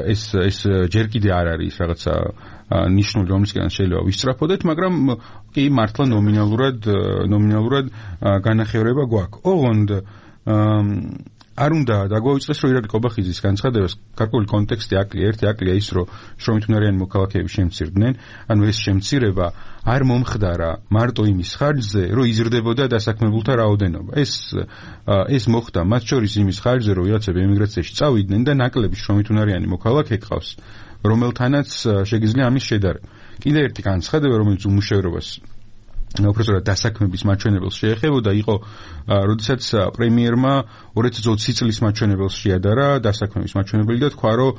ეს ეს ჯერ კიდე არ არის რაღაცა ნიშნული, რომლისგან შეიძლება ვისწრაფოდეთ, მაგრამ კი მართლა ნომინალურად ნომინალურად განახევრება გვაქვს. ოღონდ არ უნდა დაგვაუწყდეს, რომ ირაკლი კობახიძის განცხადებას გარკვეული კონტექსტი აკლია. ერთი აკლია ის, რომ შრომითუნარიანი მოქალაქეები შემცირდნენ, ანუ ეს შემცირება არ მომხდარა მარტო იმის ხარჯზე, რომ იზრდებოდა დასაქმებულთა რაოდენობა. ეს ეს მოხდა მათ შორის იმის ხარჯზე, რომ ვიღაცები ემიგრაციაში წავიდნენ და ნაკლები შრომითუნარიანი მოქალაქე ყავს, რომელთანაც შეგიძლია ამის შედარება. კიდე ერთი განცხადება, რომელიც უმუშევრობას უბრალოდ დასაქმების მაჩვენებელს შეეხებოდა, იყო როდესაც პრემიერმა ორი ათას ოცი წლის მაჩვენებელს შეადარა დასაქმების მაჩვენებელი და თქვა, რომ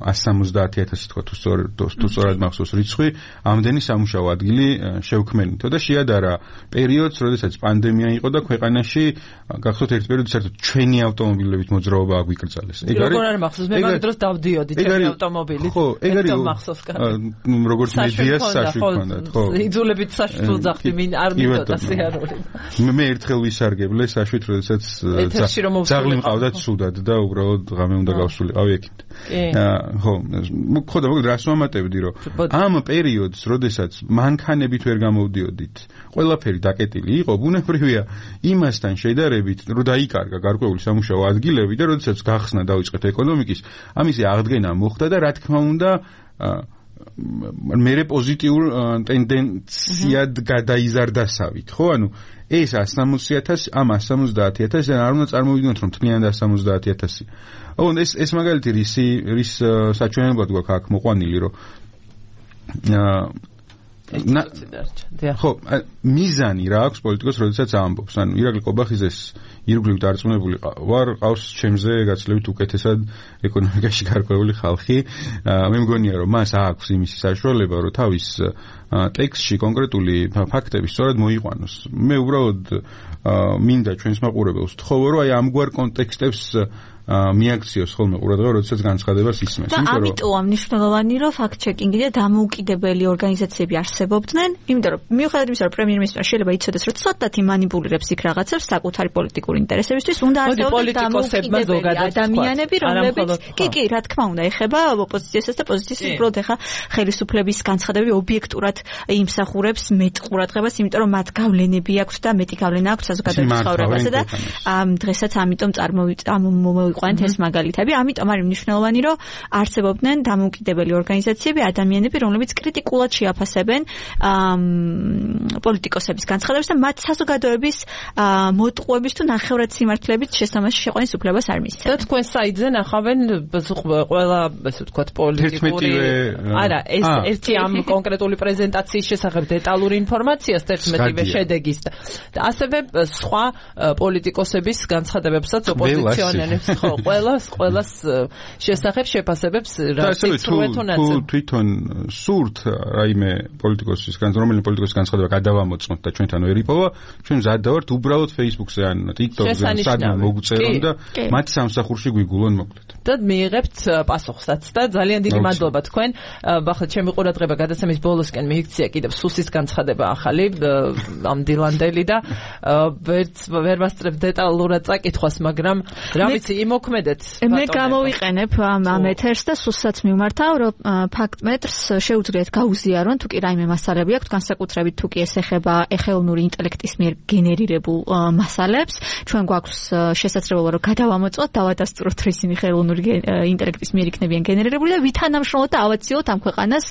ათას სამოცდაათი ათასი თქვა თუ სწორად მახსოვს რიცხვი, ამდენი სამუშაო ადგილი შევქმნითო და შეადარა პერიოდს, როდესაც პანდემია იყო და ქვეყანაში გახსოვთ ერთ პერიოდში საერთოდ ჩვენი ავტომობილებით მოძრაობა აგვიკრძალეს. ეგ არის როგორ არ მახსოვს, მე მაგ დროს დავდიოდი ჩვენი ავტომობილით. ხო, ეგ არის მახსოვს კარგად. როგორც მედიას საშუქონდათ, ხო. იძულებით საშუქ ვუძახდი მინ არ მიწოდა სიარული. მე ერთხელ ვისარგებლე საშვით, როდესაც ძაღლი მყავდათ სუდად და უბრალოდ ღამე უნდა გავსულიყავი ექიმთ. ხო, ხო და მოგეთ რას ვამატებდი, რომ ამ პერიოდს, როდესაც მანქანებით ვერ გამოვდიოდით, ყველაფერი დაკეტილი იყო, ბუნებრივია იმასთან შედარებით, რომ დაიკარგა გარკვეული სამუშაო ადგილები და როდესაც გახსნა დაიწყეთ ეკონომიკის, ამისი აღდგენა მოხდა და რა თქმა უნდა მერე პოზიტიურ ტენდენციად გადაიზარდასავით, ხო? ანუ ეს ასამოცი ათასი, ამ ასამოცდაათი ათასი არ უნდა წარმოვიდგინოთ, რომ თლიანად ასამოცდაათი ათასი. ოღონდ ეს ეს მაგალითი რისი რის საჩვენებლად გვაქვს აქ მოყვანილი, რომ ხო, მიზანი რა აქვს პოლიტიკოს, როდესაც ამბობს. ანუ ირაკლი ყობახიძეს ირგვლივ დარწმუნებული ვარ, ყავს ჩემზე გაცილებით უკეთესად ეკონომიკაში გარკვეული ხალხი. მე მგონია, რომ მას აქვს იმისი საშუალება, რომ თავის ტექსტში კონკრეტული ფაქტები სწორად მოიყვანოს. მე უბრალოდ მინდა ჩვენს მაყურებელს ვთხოვო, რომ აი ამგვარ კონტექსტებს მიაქციოს ხოლმე ყურადღება, როდესაც განცხადებას ისმენს. და ამიტომა მნიშვნელოვანი, რომ ფაქტ-ჩეკინგი და დამოუკიდებელი ორგანიზაციები არსებობდნენ, იმიტომ რომ მიუხედავად იმისა, რომ პრემიერ-მინისტრმა შეიძლება იცოდეს, რომ ცოტათი მანიპულირებს იქ რაღაცებს საკუთარი პოლიტიკური ინტერესებისთვის, უნდა არსებობდეს დამოუკიდებელი ადამიანები, რომლებიც კი, კი, რა თქმა უნდა, ეხება ოპოზიციასაც და პოზიციას, უბრალოდ ეხა ხელისუფლების განცხადებები ობიექტურად იმსახურებს მეტ ყურადღებას, იმიტომ რომ მათ გავლენები აქვთ და მეტი გავლენა აქვთ საზოგადოების ცხოვრებაზე და დღესაც ამიტომ წარმოვიყვანეთ ყვანთ ეს მაგალითები, ამიტომ არის მნიშვნელოვანი, რომ არსებობდნენ დამოუკიდებელი ორგანიზაციები, ადამიანები, რომლებიც კრიტიკულად შეაფასებენ პოლიტიკოსების განცხადებებს და მათ საზოგადოების მოტყუების თუ ნახევრად სიმართლებით შესამაში შეყვანის უფლებას არ მისცემენ. და თქვენ საიტზე ნახავენ ყველა, ასე ვთქვათ, პოლიტიკური არა, ეს ერთი ამ კონკრეტული პრეზენტაციის შესახებ დეტალური ინფორმაციას თერთმეტივე შედეგის და ასევე სხვა პოლიტიკოსების განცხადებებსაც ოპოზიციონერებს ხო, ყველას, ყველას შესახებ შეფასებებს რა თვითონ თვითონ სურთ რაიმე პოლიტიკოსის განცხადება, რომელი პოლიტიკოსის განცხადება გადავამოწმოთ და ჩვენთან ვერ იპოვა, ჩვენ მზად დავართ უბრალოდ Facebook-ზე ან TikTok-ზე სადმე მოგწერონ და მათ სამსახურში გვიგულონ მოკლედ. და მიიღებთ პასუხსაც და ძალიან დიდი მადლობა თქვენ. ახლა ჩემი ყურადღება გადაცემის ბოლოსკენ მიიქცია კიდევ სუსის განცხადება ახალი ამ დილანდელი და ვერ ვასწრებ დეტალურად წაკითხვას, მაგრამ რა ვიცი იმოქმედეთ. მე გამოვიყენებ ამ ეთერს და სუსაც მიმართავ, რომ ფაქტ-მეტრს შეუძლიათ გაუზიარონ, თუ კი რაიმე მასალები აქვთ, განსაკუთრებით თუ კი ეს ეხება ეხელოვნური ინტელექტის მიერ გენერირებულ მასალებს. ჩვენ გვაქვს შესაძლებლობა, რომ გადავამოწმოთ, დავადასტუროთ, რომ ისინი ეხელოვნური ინტელექტის მიერ იქნებიან გენერირებული და ვითანამშრომლოთ და ავაციოთ ამ ქვეყანას,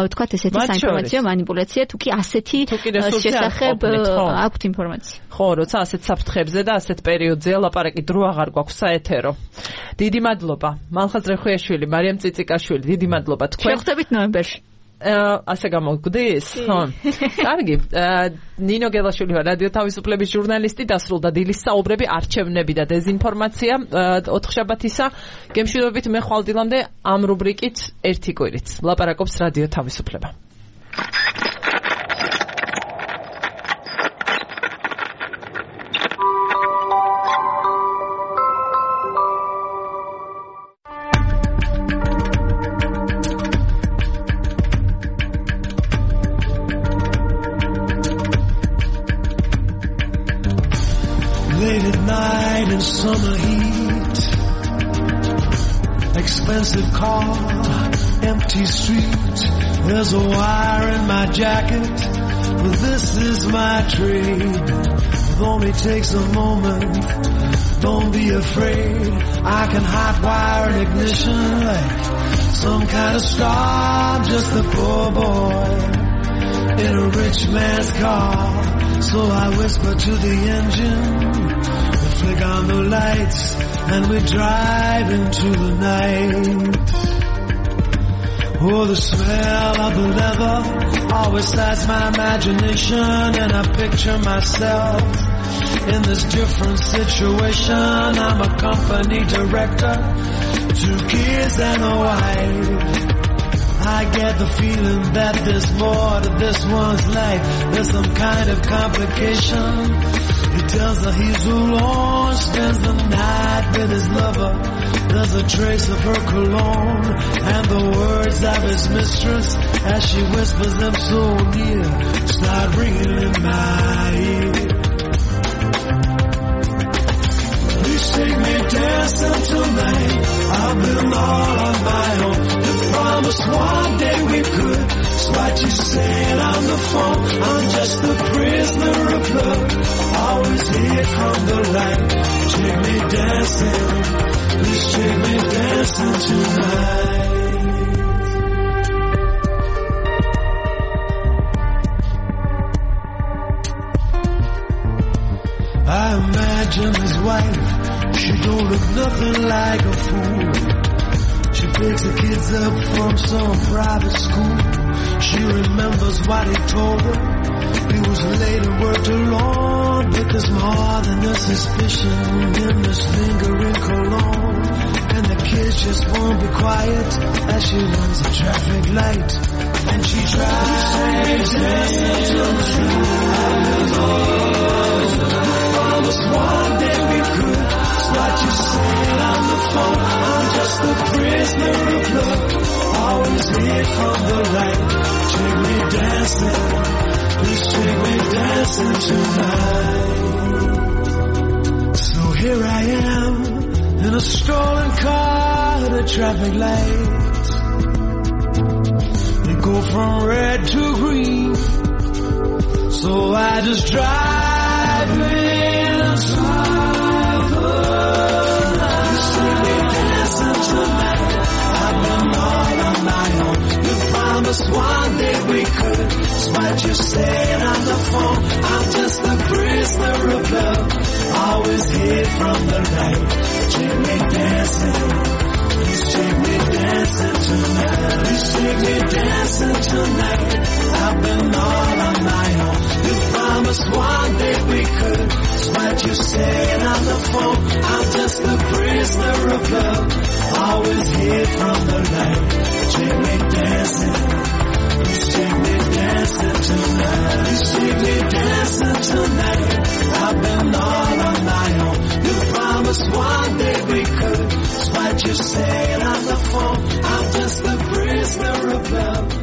ვთქვათ, ესეთი საინფორმაციო манипуляცია, თუ კი ასეთი შესახებ აქვთ ინფორმაცია. ხო, როცა ასეთ საფრთხებზე და ასეთ პერიოდზეა ლაპარაკი, დრო აღარ გვაქვს საეთერო. დიდი მადლობა. მალხაზ რეხვიაშვილი, მარიამ წიწიკაშვილი, დიდი მადლობა თქვენ. შევხვდებით ნოემბერში. ასე გამოგვდის? ხო. კარგი. ნინო გელაშვილი ვარ, რადიო თავისუფლების ჟურნალისტი, დასრულდა დილის საუბრები, არჩევნები და დეზინფორმაცია ოთხშაბათისა. გემშვიდობით მე ხვალ დილამდე ამ რუბრიკით ერთი კვირით. ლაპარაკობს რადიო თავისუფლება. Summer heat, expensive car, empty street. There's a wire in my jacket, but this is my trade. It only takes a moment, don't be afraid. I can hot wire an ignition like some kind of star. I'm just a poor boy in a rich man's car. So I whisper to the engine, flick on the lights, and we drive into the night. Oh, the smell of the leather always sets my imagination, and I picture myself in this different situation. I'm a company director, two kids and a wife. I get the feeling that there's more to this one's life. There's some kind of complication He tells her he's alone, spends the night with his lover. There's a trace of her cologne and the words of his mistress as she whispers them so near start ringing in my ear. Please take me dancing tonight. I've been all on my own. You promised one day we could. It's what you said on the phone. I'm just a prisoner of love, always hid from the light. Take me dancing. Please take me dancing tonight. I imagine his wife, she don't look nothing like a fool. She picks the kids up from some private school. She remembers what he told her. He was late and worked alone, but there's more than a suspicion in this lingering cologne. And the kids just won't be quiet as she runs a traffic light. And she tries to dance till the promised one day we could. It's what you said on the phone. I'm just a prisoner of love, always hid from the light. Take me dancing, please take me dancing tonight. So here I am in a stolen car at a traffic light. They go from red to green, so I just drive in silence. Take me dancing tonight. I've been all on my own. You promised one day we could. It's what you said on the phone. I'm just a prisoner of love, always hid from the light. Take me dancing. Please take me dancing tonight. Please take me dancing tonight. I've been all on my own. You promised one day we could. It's what you said on the phone. I'm just a prisoner of love, always hid from the light. Take me dancing. Please take me dancing tonight. Please take me dancing tonight. I've been all on my own. You promised one day we could. It's what you said on the phone. I'm just a prisoner of love,